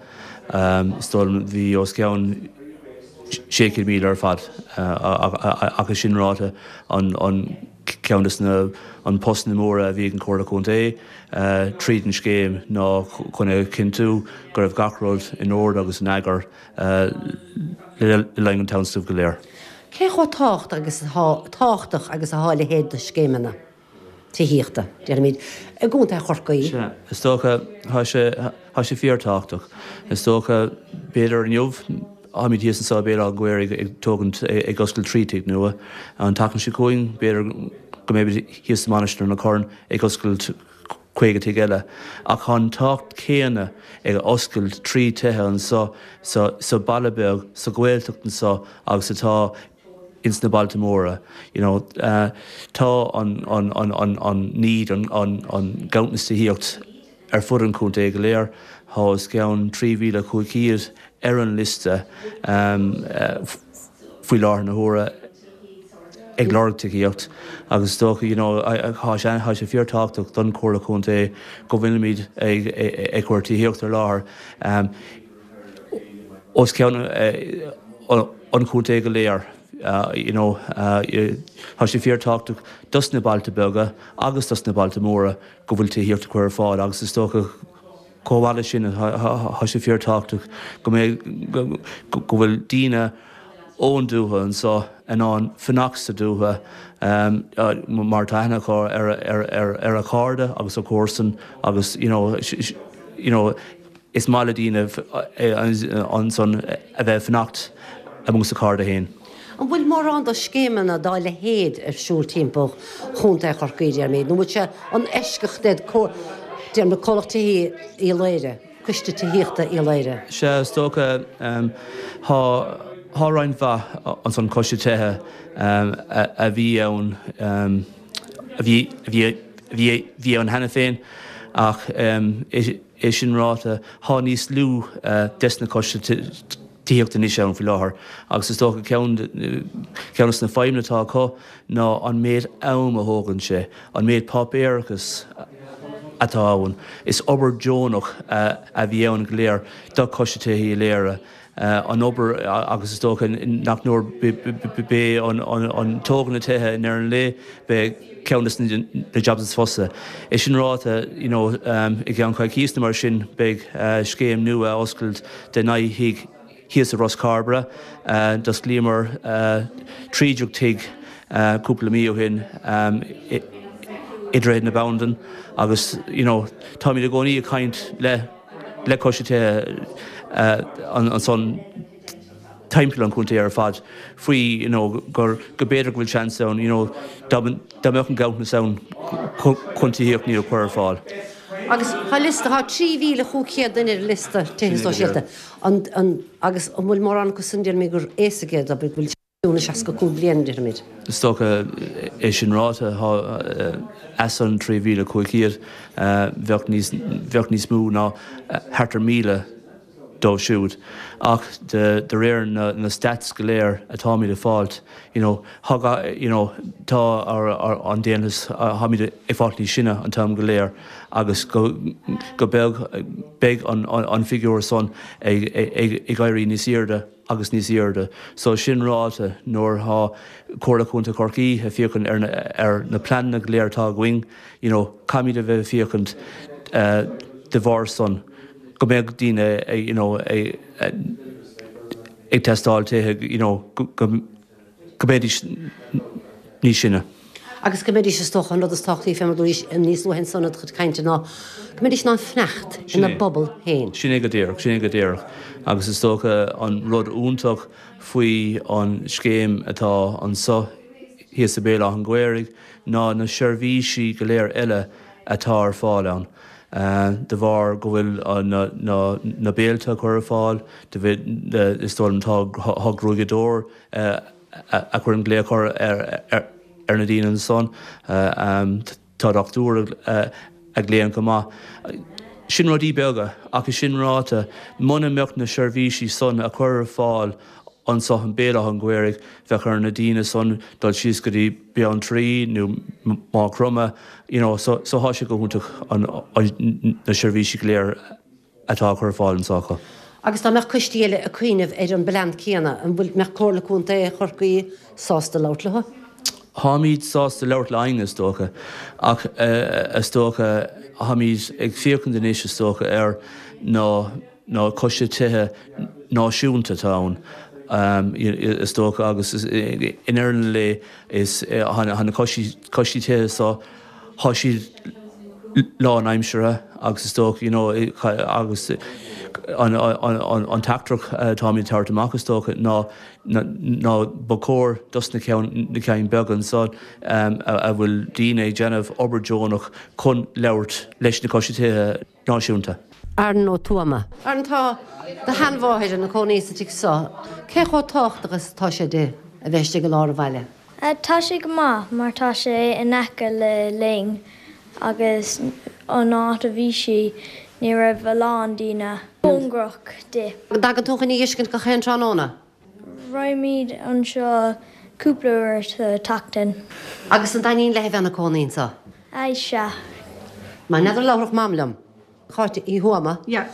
Is dóigh liom bhí os cionn sé chéad míle ar fad ach é sin ráite an, an ceann de na, an postanna móra a bhí ag an Chomhairle Contae tríd an scéim ná chun a chinntiú go raibh gach rud in ord agus in eagar le linn an tionscnaimh go léir. Cé chomh tábhachtach agus atá tábhachtach agus atá a leithéid de scéimeanna tithíochta, déarfaimid, i gContae Chorcaí? Sea, is dócha, tá sé, tá sé fíorthábhachtach. Is dócha, b'fhéidir inniu, táimid thíos anseo i Béal Átha an Ghaorthaidh ag tógaint, ag oscailt trí tigh nua. An tseachtain seo chugainn, b'fhéidir go mbeimid thíos i Mainistir na Corann ag oscailt caoga tigh eile. Ach tá an tábhacht céanna ag oscailt trí tithe anseo sa, sa baile beag, sa Ghaeltacht anseo agus atá ins na bailte móra. You know, tá an, an, an, an, an need, an, an, an ganntanas tithíocht ar fud an chontae go léir. Tá os cionn trí mhíle cúig chéad ar an liosta faoi láthair na huaire ag lorg tithíocht agus is dócha, you know, tá sé, tá sé fíorthábhachtach don Chomhairle Contae go bhfuilimid ag, ag cur tithíocht ar láthair os cionn an chontae go léir. You know, tá sé fíorthábhachtach dos na bailte beaga agus dos na bailte móra go bhfuil tithíocht á cur ar fáil agus is dócha chomh maith leis sin tá sé fíorthábhachtach go mbeidh, go bhfuil daoine ón dúiche anseo in ann fanacht sa dúiche mar tá aithne acu ar a chairde agus a comharsan agus you know, you know, is maith le daoine ansan a bheith ag fanacht amuigh sa cairde féin. An bhfuil mórán de scéimeanna dá leithéid ar siúl timpeall Chontae Chorcaí, déarfaimid, nó an bhfuil sé an eisceacht é déarfaimid Comhlacht Tithí Uí Laoghaire, Coiste Tithíochta Uí Laoghaire? Sea, is dócha, tá tá roinnt mhaith ansan coiste tithe a bhí ann, a bhí a bhí a bhí ann cheana féin ach é sin ráite, tá níos lú des na coiste tithíochta anois ann faoi láthair agus is dócha ceann ceann de na fadhbanna atá acu ná an méid am a thógann sé, an méid páipéarachas atá ann. Is obair deonach a bhí ann go léir do Choiste Tithe Uí Laoghaire, an obair agus is dócha nach nuair b'é an tógáil na tithe i ndeireadh an lae, b'é ceann de na jobs is fusa. É sin ráite, you know, i gceann coicíos nó mar sin beidh scéim nua á oscailt de naoi thigh thíos i Ros Cairbre. D'osclaíomar trí déag tigh cúpla mí ó shin i Droichead na Bandan agus you know táimid i gcónaí ag caint le le coiste tithe ansan timpeall an chontae ar fad faoi you know gur go b'fhéidir go bhfuil seans ann you know dá mbeadh an ganntanas ann chun tithíocht nua a chur ar fáil. Agus tá liosta, tá trí mhíle chúig chéad duine ar an liosta tithe sóisialta. An, an, agus an bhfuil mórán acu san déarfaimid gur aosaigh iad, abair, go bhfuil na seasca cúig bliana, déarfaimid. Is dócha é sin ráite, tá as an trí mhíle cúig chéad, bheadh níos, bheadh níos mó ná thart ar míle dóibh siúd. Ach de réir na stats go léir atáimid ag fáilt, you know, you know, tá an daonlathas, táimid ag fáilt níos sine an t-am go léir agus go go beag beidh an an figiúr san ag ag éirí níos airde agus níos airde. So sin ráite, nuair atá Comhairle Contae Chorcaí ag féachaint ar na ar na pleananna go léir atá againn, you know, caithfimid a bheith ag féachaint de bharr san go mbeadh daoine you know ag teastáil tithe you know go go mbeidís níos sine. Agus go mbeidís is dócha an rud is tábhachtaí fé mar dúraís níos luaithe ansan i do chuid cainte ná go mbeidís in ann fanacht ina bpobal féin. Sin é go díreach, sin é go díreach. Agus is dócha an rud iontach faoi an scéim atá anso thíos i Béal Átha an Ghaorthaidh ná na seirbhísí go léir eile atá ar fáil ann. De bharr go bhfuil na béilte á cur ar fáil, is dóigh liom tá gruaigeadóir a chuireann glaoch ar na daoine ansan, tá dochtúir a ghlaonn chomh maith. Sin rudaí beaga, ach é sin ráite, muna mbeadh na seirbhísí san á cur ar fáil anso i mBéal Átha an Ghaorthaidh, bheadh ar na daoine san dul síos go dtí Beanntraí nó Maigh Chromtha, you know, so so thá sé go hiontach an na seirbhísí go léir atá á cur ar fáil anso acu. Agus dá mbeadh coistí eile ag cuimhneamh ar an bplean céanna, an bhfuil mbeadh Comhairle Contae Chorcaí sásta labhairt leo? Tháimid sásta labhairt le éinne is dócha, ach is dócha tháimid ag féachaint anois is dócha ar na na coistí tithe náisiúnta atá ann is dócha agus i ndeireadh an lae is tá na coistí tithe so tá siad lánaimseartha agus is dócha you know agus an an teachtaireacht atáimid ag tabhairt amach is dócha ná ná ba chóir dos na ceann na ceann beaga anso a bhfuil daoine ag déanamh obair deonach chun labhairt leis na coistí tithe náisiúnta. Aaron Ó Tuama. Aaron, tá do sheanmháthair ina cónaí sa tigh seo. Cé chomh tábhachtach is atá sé di a bheith istigh i lár an bhaile? Tá sé go maith mar tá sé in aice le linn agus an áit a bhí sí ní raibh a lán daoine cóngarach di. An dtagann tú chun í a fheiscint gach aon tráthnóna? Raghaimid anseo cúpla uair sa tseachtain. Agus an dtaitníonn léi a bheith ina cónaí anseo? Aye, sea. Mar n'fheadar labhródh Mam liom. Cáit Uí Thuama. Yeah.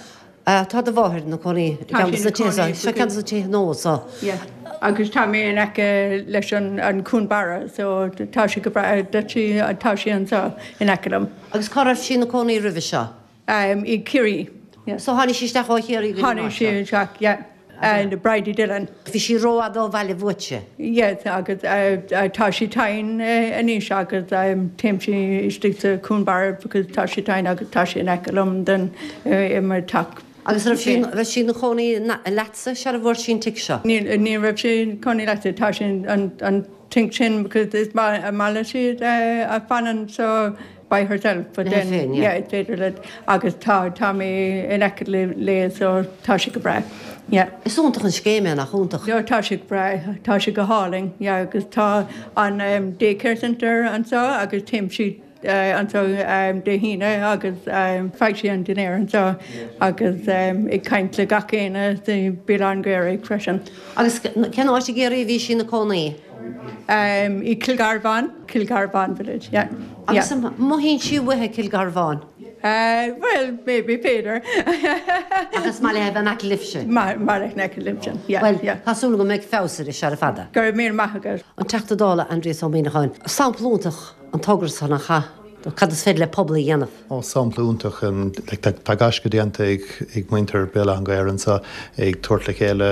Tá do mháthair ina cónaí i Tá gceann sí de ina na tithe cónaí seo. Seo ceann de na tithe nua seo. Yeah. Agus tá mé in aice leis an an Cuan Barra so tá sí go breá sí tá sí anseo in aice liom. Agus cá raibh sí ina cónaí roimhe seo? Um, i Ciarraí. Yeah. So tháinig sí isteach ó Chiarraí go dtí an Tháinig áit sí seo. isteach, yeah. And Bridie Dillon. Bhí sí rófhada ó bhaile uaitse. Yes, agus tá sí tinn anois agus téim sí istigh sa Cuan Barra because tá sí tinn agus tá sí in aice liom den i mo teach. Agus raibh sí raibh sí ina cónaí leatsa sara bhfuair sí an tigh seo? Ní ní raibh sí ina cónaí leatsa, tá sí an an tigh sin because is maith maith léi a fanann so by herself but Léi then féin, yeah yeah. is féidir leat agus tá tá mé in aice le léi so tá sé go breá yeah. Is iontach an scéim é, nach iontach? No tá sé go breá, tá sé go hálainn yeah agus tá an um, daycare centre anseo agus téim sí uh, anseo um, Dé hAoine agus um, faigh sí an dinnéar anseo agus um, ag caint le gach éinne sa Béal Átha an Ghaorthaidh freisin. Agus cén áit i gCiarraí a bhí sí ina cónaí? Um, i Kilgarvan, Kilgarvan village, yeah. Agus yeah. an mothaíonn sí uaithi Cill Gharbháin? Uh, well, maybe b'fhéidir. Ach is maith léi a bheith in aice libhse. Maith léi in aice libhse, yeah, Well, yeah. tá súil go mbeidh feabhas air sara fada. Go raibh míle maith agat. An Teachta Dála Aindrias Ó Muimhneacháin, sampla iontach an togra san nach ea? do cad is féidir le pobal a dhéanamh. Ó, sampla iontach, tá gaisce déanta ag ag muintir Béal Átha an Ghaorthaidh anseo ag tabhairt le chéile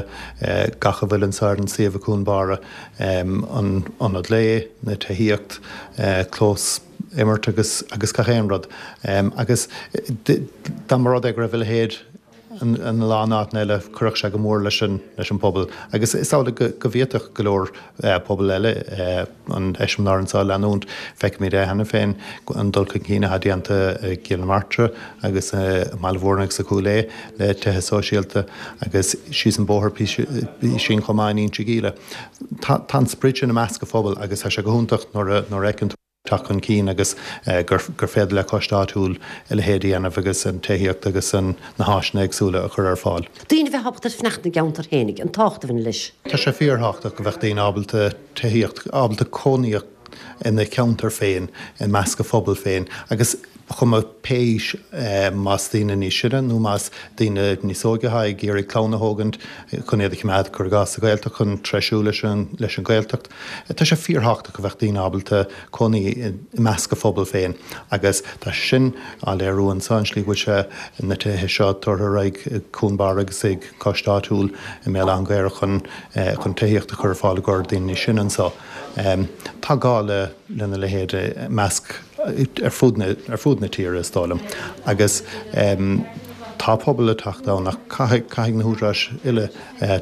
gach a bhfuil anseo ar an suíomh i gCuan Barra, an ionad lae, na tithíocht, clós imirt agus agus gach aon rud. Agus dá mba rud é go raibh a leithéid ina lán áiteanna eile, chuirfeadh sé go mór leis an leis an bpobal. Agus is amhlaidh go go bhféadfadh go leor pobal eile an eiseamláir anseo a leanúint. Feicimid é cheana féin, an dul chun cinn atá déanta i gCill na Martra agus i mBaile Mhúirne agus i gCúil Aodha le tithe sóisialta agus síos an bóthar písín chomh maith in Inse Gile. Tá tá an sprid sin i measc an phobail agus tá sé go hiontach nuair a nuair a fheiceann tú teacht chun cinn agus gur gur féidir le coiste áitiúil a leithéid a dhéanamh agus an tithíocht agus an na háiseanna éagsúla a chur ar fáil. Daoine a bheith ábalta fanacht ina gceantar féinig, an tábhacht a bhaineann leis. Tá sé fíorthábhachtach go bheadh daoine ábalta tithíocht, ábalta cónaí ina cheantar féin, i measc a phobal féin agus ba chuma pé aois, más daoine níos sine nó más daoine níos óige atá ag iarraidh clann a thógaint chun iad a choimeád, cuir i gcás, sa Ghaeltacht, chun treisiú leis an leis an Ghaeltacht. Tá sé fíorthábhachtach go bheadh daoine ábalta cónaí i measc a phobal féin agus tá sé sin á léiriú anseo, an slí go bhfuil sé na tithe seo tabhartha ar aghaidh ag Cuan Barra agus ag coiste áitiúil i mBéal Átha an Ghaorthaidh chun chun tithíocht a chur ar fáil i gcomhair daoine níos sine anseo. Tá gá le lena leithéid i measc ar fud na ar fud na tíre is dóigh liom agus tá pobal ag teacht ann ach caithfidh caithfidh na húdaráis uile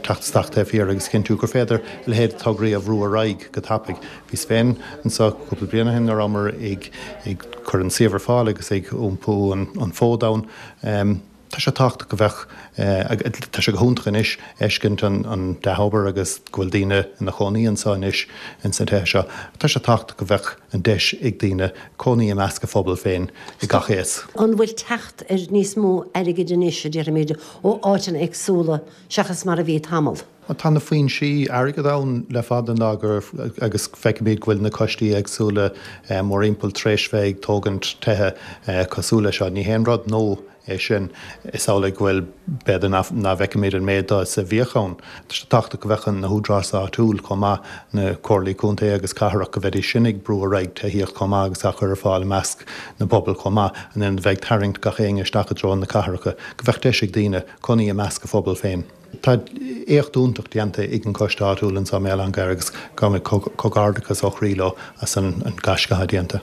teacht isteach taobh thiar agus cinntiú gur féidir a leithéid de tograí a bhrú ar aghaidh go tapaidh. Bhíos féin anseo cúpla bliain ó shin nuair a rabhamar ag ag cur an suíomh ar fáil agus ag iompú an an fód ann. Tá sé tábhachtach go bheadh, tá sé go hiontach anois fheiscint an dea-obair agus go bhfuil daoine ina chónaí anseo anois ins na tithe seo. Tá sé tábhachtach go bheadh an deis ag daoine cónaí i measc a phobal féin i gach aos. An bhfuil teacht ar níos mó airgid anois, a déarfaimid, ó áiteanna éagsúla seachas mar a bhí tamall? Tá na foinsí airgid ann le fada an lá gur agus feicimid go bhfuil na coistí éagsúla mórthimpeall tar éis bheith ag tógaint tithe cosúil leis seo. Ní haon rud nua é sin. Is amhlaidh go bhfuil, b'fhéidir nach bhfeicimid an méid dó is a bhíodh ann. Tá sé tábhachtach go bheadh na húdaráis áitiúil chomh maith, na comhairlí contae agus cathrach, go mbeidís sin ag brú ar aghaidh tithíocht chomh maith agus á chur ar fáil i measc na bpobal chomh maith, in ionad bheith ag tarraingt gach éinne isteach i dtreo na cathracha, go bheadh deis ag daoine cónaí i measc a phobal féin. Tá éacht iontach déanta ag an gcoiste áitiúil anseo i mBéal Átha an Ghaorthaidh agus gabhaimid comhghairdeachas ó chroí leo as an gaisce atá déanta.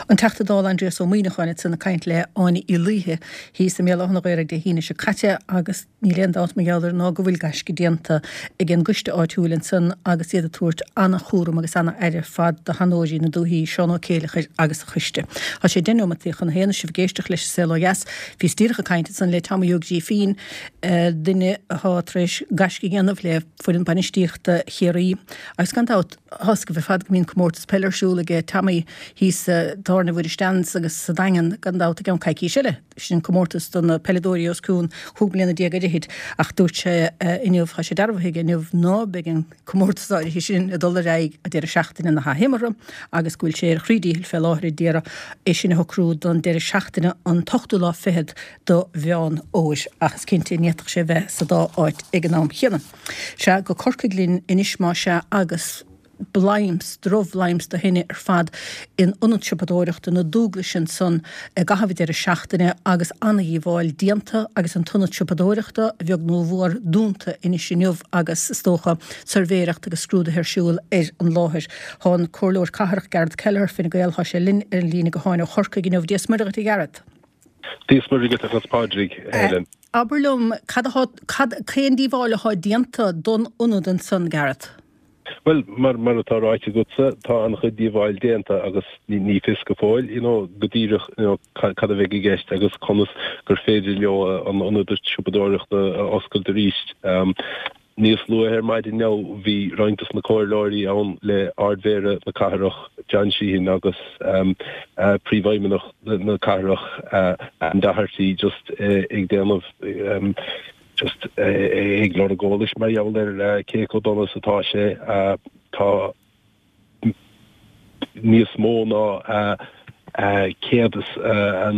An Teachta Dála Aindrias Ó Muimhneacháin ansan ag caint le Áine Uí Laoithe thíos i mBéal Átha an Ghaorthaidh Dé hAoine seo caite agus níl aon dabht mar gheall air ná go bhfuil gaisce déanta ag an gcoiste áitiúil ansan agus iad ag tabhairt ana-chúram agus ana-aire ar fad do sheanóirí na dúichí, Seán Ó Céileachair agus a choiste. Tá sé deich neomataí chun a haon is sibh ag éisteacht leis An Saol Ó Dheas. Bhíos díreach ag caint ansan le Tommy Ó Grífín, duine atá tar éis gaisce a dhéanamh le foireann bainistíochta Chiarraí agus gan dabht, Tá a fhios agaibh ar fad go mbíonn comórtas peile ar siúl aige Tommy thíos i dTábhairne Mhuire Stan's agus sa Daingean gan dabht i gceann coicís eile. Sin comórtas do na peileadóirí os cionn chúig mbliana déag ar fhichid ach dúirt sé inniu, tá sé dearbhaithe aige inniu ná beidh an comórtas áirithe sin ag dul ar aghaidh an deireadh seachtaine na hathimeartha agus go bhfuil sé ar a chroí díchill fé láthair ag iarraidh é sin a shocrú don deireadh seachtaine an t-ochtú lá fichead do Mheán Fhómhair ach is cinnte ní fhéadfadh sé bheith sa dá áit ag an am chéanna. Sea, go Corcaigh linn anois más ea agus bladhm, drochbhladhm de thine ar fad in ionad siopadóireachta na Dúglaise ansan i gcaitheamh an deireadh seachtaine agus ana-dhíobháil déanta agus an t-ionad siopadóireachta, a bheag nó a mhór, dúnta anois inniu agus is dócha suirbhéireacht agus scrúduithe ar siúl ar an láthair. Tá an Comhairleoir Cathrach Garret Kelleher, Fine Gael, tá sé linn ar an líne gutháin ó Chorcaigh inniu. Dia 's Muire dhuit a Gharret. Dia 's Muire dhuit agus Pádraig, a Helen. Abair liom, cad atá, cad, cén díobháil atá déanta don ionad ansan, Garret? Bhuel, mar, mar atá ráite agatsa, tá an-chuid díobháil déanta agus ní, ní fios go fóill, you know, go díreach, you know, cad, cad a bheidh i gceist agus conas gur féidir leo an ionad siopadóireachta a oscailt arís. Níos luaithe ar maidin inniu bhí roinnt dos na comhairleoirí ann le Ard-Mhéara na cathrach, John Sheehan agus Príomhfheidhmeannach na cathrach, Anne Doherty just ag déanamh just ag lorg eolais mar gheall ar cé chomh dona is atá sé. Tá. níos mó ná céad is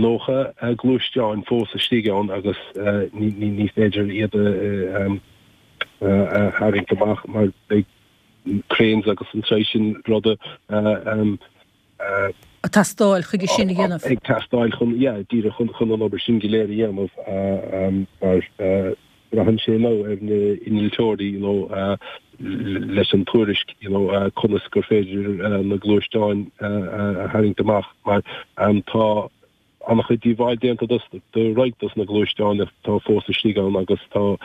nócha gluaisteán fós istigh ann agus ní féidir iad a tharraingt amach mar beidh cranes agus an saghas sin ruda Ag teastáil chuige sin a dhéanamh. Ag teastáil chun, yeah, díreach chun chun an obair sin go léir a dhéanamh mar braitheann sé now ar na innealtóirí you know leis an tuairisc you know conas gur féidir na gluaisteáin a tharraingt amach mar tá an-chuid díobháil déanta do roinnt dos na gluaisteáin atá fós istigh ann agus tá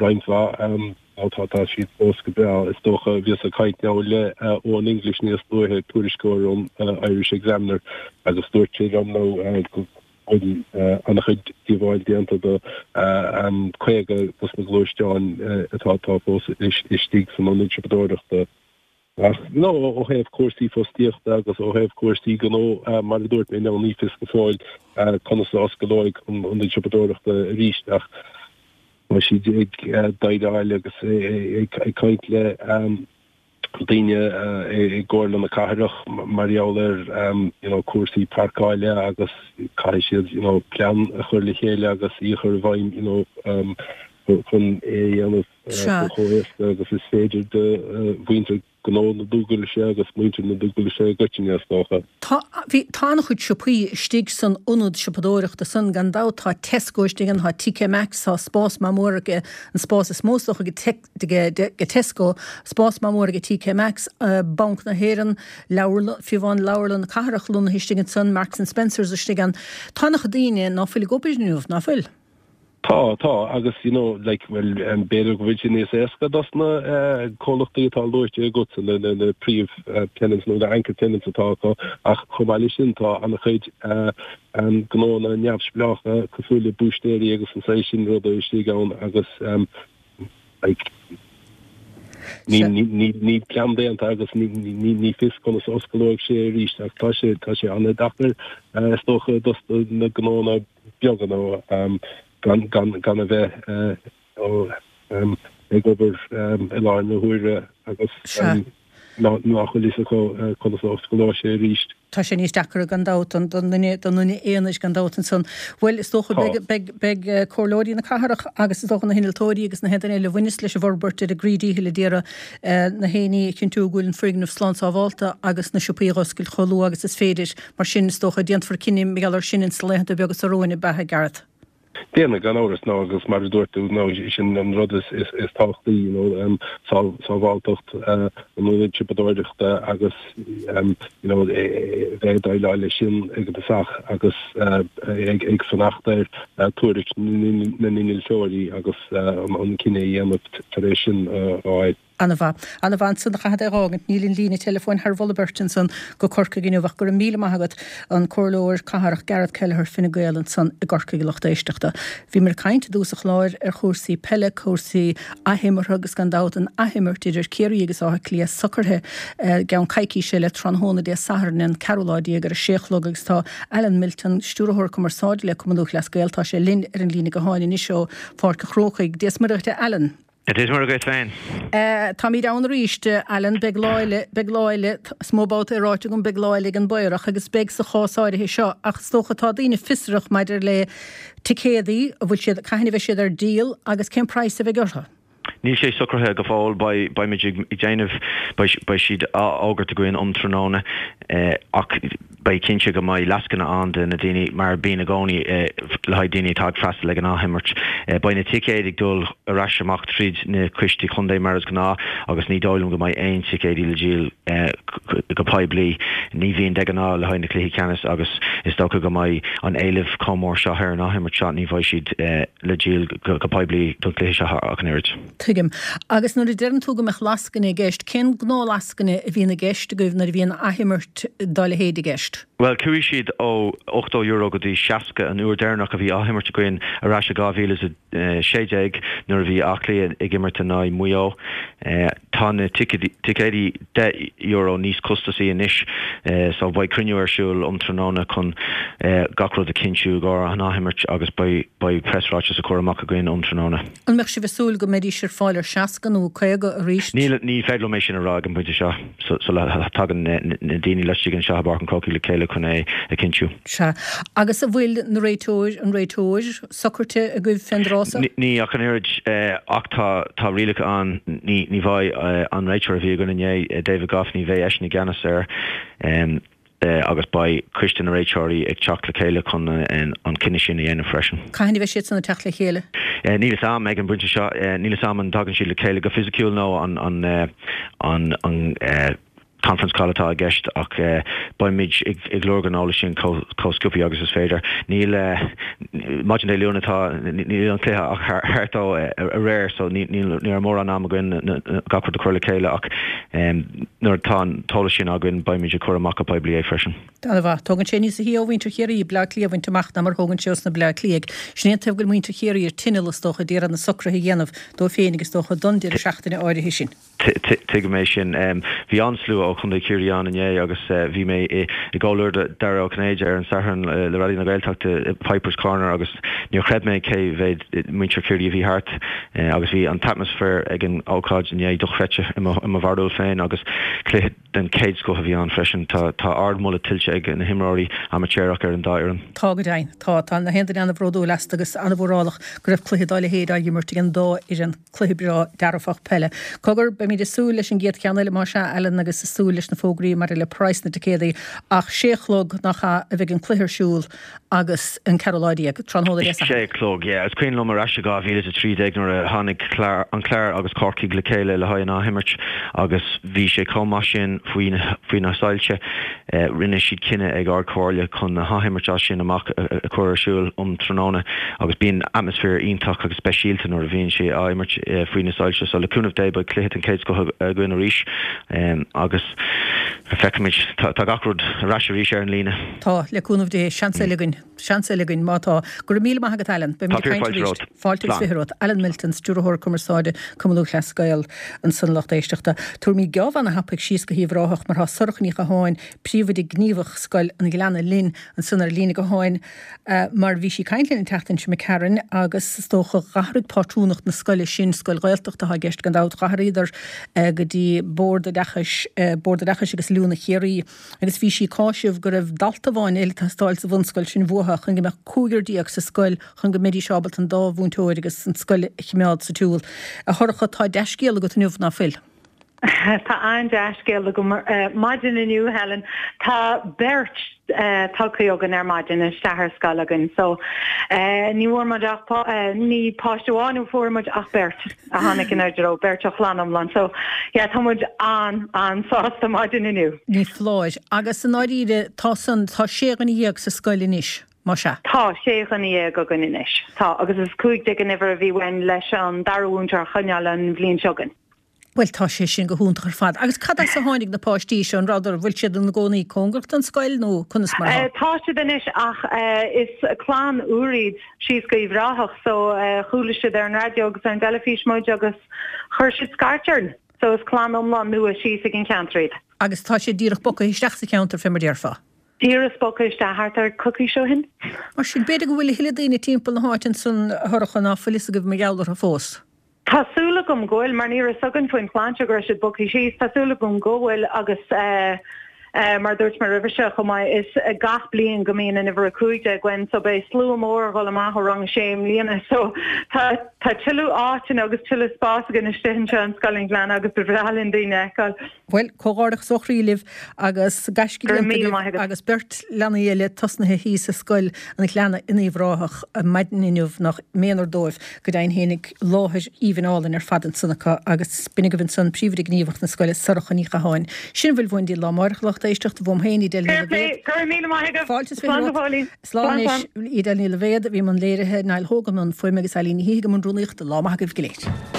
roinnt mhaith nó tá siad fós go breá. Is dócha, bhíos ag caint now le Eoin English níos luaithe, tuairisceoir ón Irish Examiner, agus dúirt sé liom now go bhfuil an-chuid díobháil déanta do caoga dos na gluaisteáin atá fós istigh san ionad siopadóireachta. Ach no, ó thaobh cúrsaí fostaíochta agus ó thaobh cúrsaí gnó, mar a dúirt mé, ní fios go fóill conas a osclóidh an ionad siopadóireachta arís ach tá siad ag déileáil agus ag caint le daoine i gComhairle na Cathrach mar gheall ar you know cúrsaí páirceála agus caithfidh siad you know plean a chur le chéile agus í a chur i bhfeidhm you know chun é a dhéanamh chomh héasca agus is féidir do mhuintir gnó na Dúglaise agus muintir na Dúglaise i gcoitinne, is dócha. Tá, bhí, tá an-chuid siopaí istigh san ionad siopadóireachta san, gan dabht, tá Tesco istigh ann, tá TK Maxx, tá spás maith mór aige, an spás is mó is dócha ag Tesco, spás maith mór ag TK Maxx, Banc na hÉireann, leabharlann, fiú amháin Leabharlann na Cathrach lonnaithe istigh ansan, Marks and Spencers istigh ann. Tá an-chuid daoine ná fuil ag obair inniu, ná fuil? Tá, tá, agus you know, like, bhuel, b'fhéidir go bhfuil sé níos éasca dos na comhlachtaí atá luaite agatsa, na, na, na príomh tenants nó na anchor tenants atá acu, ach chomh maith leis sin tá an-chuid gnóanna neamhspleácha cosúil le búistéirí agus an saghas sin ruda istigh ann agus like, Níl plean déanta agus ní fios conas a osclóidh sé arís ach tá sé tá sé an-deacair is dócha dos na gnónna beaga nó gan gan gan a bheith ag obair i láthair na huaire agus nach bhfuil fhios acu conas a osclóidh sé arís. Tá sé níos deacra gan dabht don duine don duine aonair gan dabht ansan. Bhuel, is dócha beidh beidh beidh comhairleoirí na cathrach agus is dócha na hinnealtóirí agus na haon duine eile a bhaineas leis an bhforbairt ar a gcroí díchill ag iarraidh na héinní a chinntiú go bhfuil an foirgneamh slán sábhálta agus na siopaí a dh'oscailt chomh luath agus is féidir. Mar sin, is dócha, déanfar cinneadh mar gheall air sin ins na laethanta beaga seo romhainn, ab ea, a Gareth? Déanfaidh, gan amhras, nó agus mar a dúirt tú, nó sin an rud is tábhachtaí, you know, sábháilteacht an ionaid siopadóireachta agus, you know, bheith ag déileáil leis sin ag an tosach agus ag fanacht ar tuairisc na n-innealtóirí agus an cinneadh a dhéanamh tar éis sin a fháil. Ana-mhaith. Ana-mhaith ansan a chaithfead é a dh'fhágaint. Níl an líne teileafóin thar mholadh beirte ansan go Corcaigh inniu ach go raibh míle maith agat, an Comhairleoir Cathrach Gareth Kelleher, Fine Gael ansan i gCorcaigh a lucht éisteachta. Bhíomar ag caint i dtús an chláir ar chúrsaí peile, cúrsaí athimeartha agus gan dabht an athimirt idir Ciarraí agus Áth Cliath socraithe i gceann coicíse eile tráthnóna Dé Sathairn an ceathrú lá déag ar a sé a chlog agus tá Alan Milton, Stiúrthóir Cumarsáide le Cumann Lúthchleas Gael, tá sé linn ar an líne gutháin anois ó Pháirc an Chrócaigh. Dia is Muire dhuit a Alan. Dia is Muire dhuit féin. Táimid ann arís, Alan. Beidh lá eile, beidh lá eile, is mó babhta é ráite agam, beidh lá eile ag an bPaorach agus beidh sa chás áirithe seo ach is dócha tá daoine fiosrach maidir le ticéadaí, an bhfuil siad, cathain a bheidh siad ar díol agus cén praghas a bheidh orthu? Níl sé socraithe go fóill, beidh, beimid ag déanamh, beidh, beidh siad á fhógairt againn um tráthnóna ach beidh cinnte go mbeidh lascaine ann do na daoine, mar a bíonn i gcónaí le haghaidh daoine atá ag freastal ag an athimirt. Beidh na ticéid ag dul ar ais amach tríd na coistí contae mar is gnáth agus ní dóigh liom go mbeidh aon ticéidí le díol go poiblí. Ní bhíonn de ghnáth le haghaidh na cluichí ceannais agus is dócha go mbeidh an éileamh chomh mór seo ar an athimirt seo ní bheidh siad le díol go poiblí don chluiche seo ach an oiread. Tuigim. Agus nuair a deireann tú go mbeadh lascaine i gceist, cén gnáthlascaine a bhíonn i gceist agaibh nuair a bhíonn athimirt dá leithéid i gceist? Bhuel, chuaigh siad ó ochtó euro go dtí seasca an uair deireanach a bhí athimirt againn ar ais i dhá mhíle is a sé déag nuair a bhí Áth Cliath ag imirt in aghaidh Mhaigh Eo. Tá na ticéidí deich euro níos costasaí anois so beidh cruinniú ar siúl um tráthnóna chun gach rud a chinntiú i gcomhair an athimirt agus beidh beidh preasráiteas á chur amach againn um tráthnóna. An mbeadh sibh ag súil go mbeidís ar fáil ar seasca nó caoga arís? Níl, ní féidir liom é sin a rá ag an bpointe seo sula dtagann na daoine laistigh anseo i bPáirc an Chrócaigh le chéile chun é a chinntiú. Sea. Agus an bhfuil na réiteoir, an réiteoir socraithe agaibh fén dtráth so? Ní ach an oiread, ach tá, tá rialacha ann, ní, ní bheidh an réiteoir a bhí againn inné, David Gough, ní bheidh eisean i gceannas air. agus beidh coiste na réiteoirí ag teacht le chéile chun an cinneadh sin a dhéanamh freisin. Cathain a bheidh siad san ag teacht le chéile? Níl fhios a'm ag an bpointe seo. Níl fhios a'm an dtagann siad le chéile go fisiciúil nó an an an conference call atá i gceist ach beimid ag lorg an eolais sin chomh sciobtha agus is féidir. Níl maidin Dé Luain atá níl an cluiche ach thart ó aréir so ní raibh mórán am againn gach rud a chur le chéile ach nuair atá an t-eolas sin againn beimid ag cur amach go poiblí é freisin. Ana-mhaith. Tógann sé níos sia ó mhuintir Chiarraí Bleá Cliath a bhaint amach ná mar a thógann sé os na Bleá Cliathaigh. Sin é an taobh go bhfuil muintir Chiarraí ar tinneall is dócha d'iarraidh na socruithe a dhéanamh dóibh féin agus is dócha don deireadh seachtaine áirithe sin. Tuigim é sin. Bhí an-slua ó Chontae Chiarraí ann inné agus bhí mé i gcomhluadar Dara Ó Cinnéide ar an Satharn le Raidió na Gaeltachta i Pipers Corner agus níor chreid mé cé mhéad muintir Chiarraí a bhí thart agus bhí an t-atmaisféar ag an ócáid inné dochreidte i mo bharúil féin agus cluiche den chéad scoth a bhí ann freisin. Tá ardmholadh tuillte ag na himreoirí amaitéarach ar an dá fhoireann. Tá go deimhin. Tá. Tá na haon duine an-bhródúil astu agus an-mhórálach go raibh cluiche dá leithéid á imirt ag an dá fhoireann. Cluiche breá dearfach peile. Cogar, beimid ag súil leis an gcéad cheann eile más ea, Alan, agus ag súil leis na fógraí maidir le praghas na dticéadaí, ach sé a chlog, nach ea, a bheidh an cluiche ar siúl agus an ceathrú lá déag, tráthnóna Dé Sathairn. Sé a chlog, yeah. Is cuimhin liom ar ais i dhá mhíle is a trí déag nuair a tháinig an Clár agus Corcaigh le chéile le haghaidh an athimirt agus bhí sé chomh maith sin faoi faoi na soilse. Rinne siad cinneadh ag Ard Chomhairle chun na hathimirt as sin amach a chur ar siúl um tráthnóna agus bíonn atmaisféar iontach agus speisialta nuair a bhíonn sé á imirt faoi na soilse. So le cúnamh Dé beidh cluiche den chéad scoth againn arís agus feicfimid. Tá gach rud ar ais arís ar an líne. Tá, le cúnamh Dé. Seans eile againn. Seans eile againn, má tá. Go raibh míle maith agat Alan. Beimid ag caint arís. Fáilte agus fiche romhat. Alan Milton, Stiúrthóir Cumarsáide, Cumann Lúthchleas Gael, ansan a lucht éisteachta. Tabharfaimid geábh ana-thapaidh síos go hUíbh Ráthach mar tá Sorcha Ní Chatháin, Príomhoide Gníomhach Scoil an Ghleanna linn ansan ar líne gutháin mar bhí sí ag caint linn an tseachtain seo imigh tharainn agus is dócha dh'athraigh pátrúnacht na scoile sin, scoil Ghaeltachta atá i gceist gan dabht, dh'athraíodar go dtí Bord Oideachais, Bord Oideachais agus Oiliúna Chiarraí. Agus bhí sí ag cáiseamh go raibh dalta amháin eile ag teastáil sa bhunscoil sin uathu chun go mbeadh cúigear déag sa scoil chun go mbeidís ábalta an dá mhúinteoir agus an scoil a chimeád sa tsiúl. A Shorcha, tá dea-scéal agat inniu, ná fuil? Tá an-dea-scéal agam maidin inniu, Helen. Tá beirt tagtha againn ar maidin isteach ar scoil againn. So ní bhfuair muid ach ní páiste amháin a fuair muid ach beirt. a tháinig inár dtreo, beirt ó chlann iomlán. So, yeah, tá muid an, an-sásta maidin inniu. Ní foláir. Agus i ndáiríre, tá san, tá sé dhuine dhéag sa scoil anois, más ea? Tá, sé dhuine dhéag againn anois. Tá, agus is cúig déag an uimhir a bhí uainn leis an dara mhúinteoir a choinneáil an bhliain seo chugainn. Bhuel, tá sé sin go hiontach ar fad. Agus cad as a tháinig na páistí seo? An rabhadar, bhfuil siad ina gcónaí cóngarach don scoil nó conas mar atá? Tá siad anois ach is clann úr iad síos go Uíbh Ráthach so chuala siad ar an raidió agus ar an dteilifís muid agus chuir siad scairt orainn. So is clann iomlán nua síos ag an cheantar iad. Agus tá siad díreach bogtha isteach sa cheantar fé mar déarfá? Díreach bogtha isteach thart ar coicís ó shin. Mar sin, b'fhéidir go bhfuil a thuilleadh daoine timpeall na háite ansan a Shorcha ná fuil fhios agaibh mar gheall orthu fós. Tá súil agam go bhfuil, mar ní raibh fhios againn faoin chlann seo go raibh siad bogtha síos. Tá súil agam go bhfuil agus mar a dúirt mé roimhe seo chomh maith, is gach bliain go mbíonn an uimhir a cúig déag againn so beidh slua mór ag dhul amach ó rang a sé i mbliana so tá tá tuilleadh áiteanna agus tuilleadh spás againn istigh anseo in Scoil an Ghleanna agus ba bhreá linn daoine a fheiceáil. Bhuel, comhghairdeachas ó chroí libh agus gaisce Go raibh déanta míle agaibh maith agat. agus beirt leanaí eile tosnaithe thíos i Scoil an Ghleanna in Uíbh Ráthach maidin inniu, nach méanar dóibh, go deimhin fhéinig, láthair aoibhinn álainn ar fad ansan acu agus b'in agaibh ansan Príomhoide Gníomhach na scoile, Sorcha Ní Chatháin. Sin a bhfuil uainn daoibh lá amárach, a lucht éisteachta, uaim féin, Edel Ní Fair play, Loibhéad. go raibh míle maith agaibh. Fáilte is fiche Slán go romhat. fóillín. Slán Slán, anois, slán. Edel Ní Loibhéad a bhí i mbun léirithe, Niall Hogan i mbun fuaime agus Eileen Ní hÍthigh i mbun rúnaíochta. Lá maith agaibh go léir.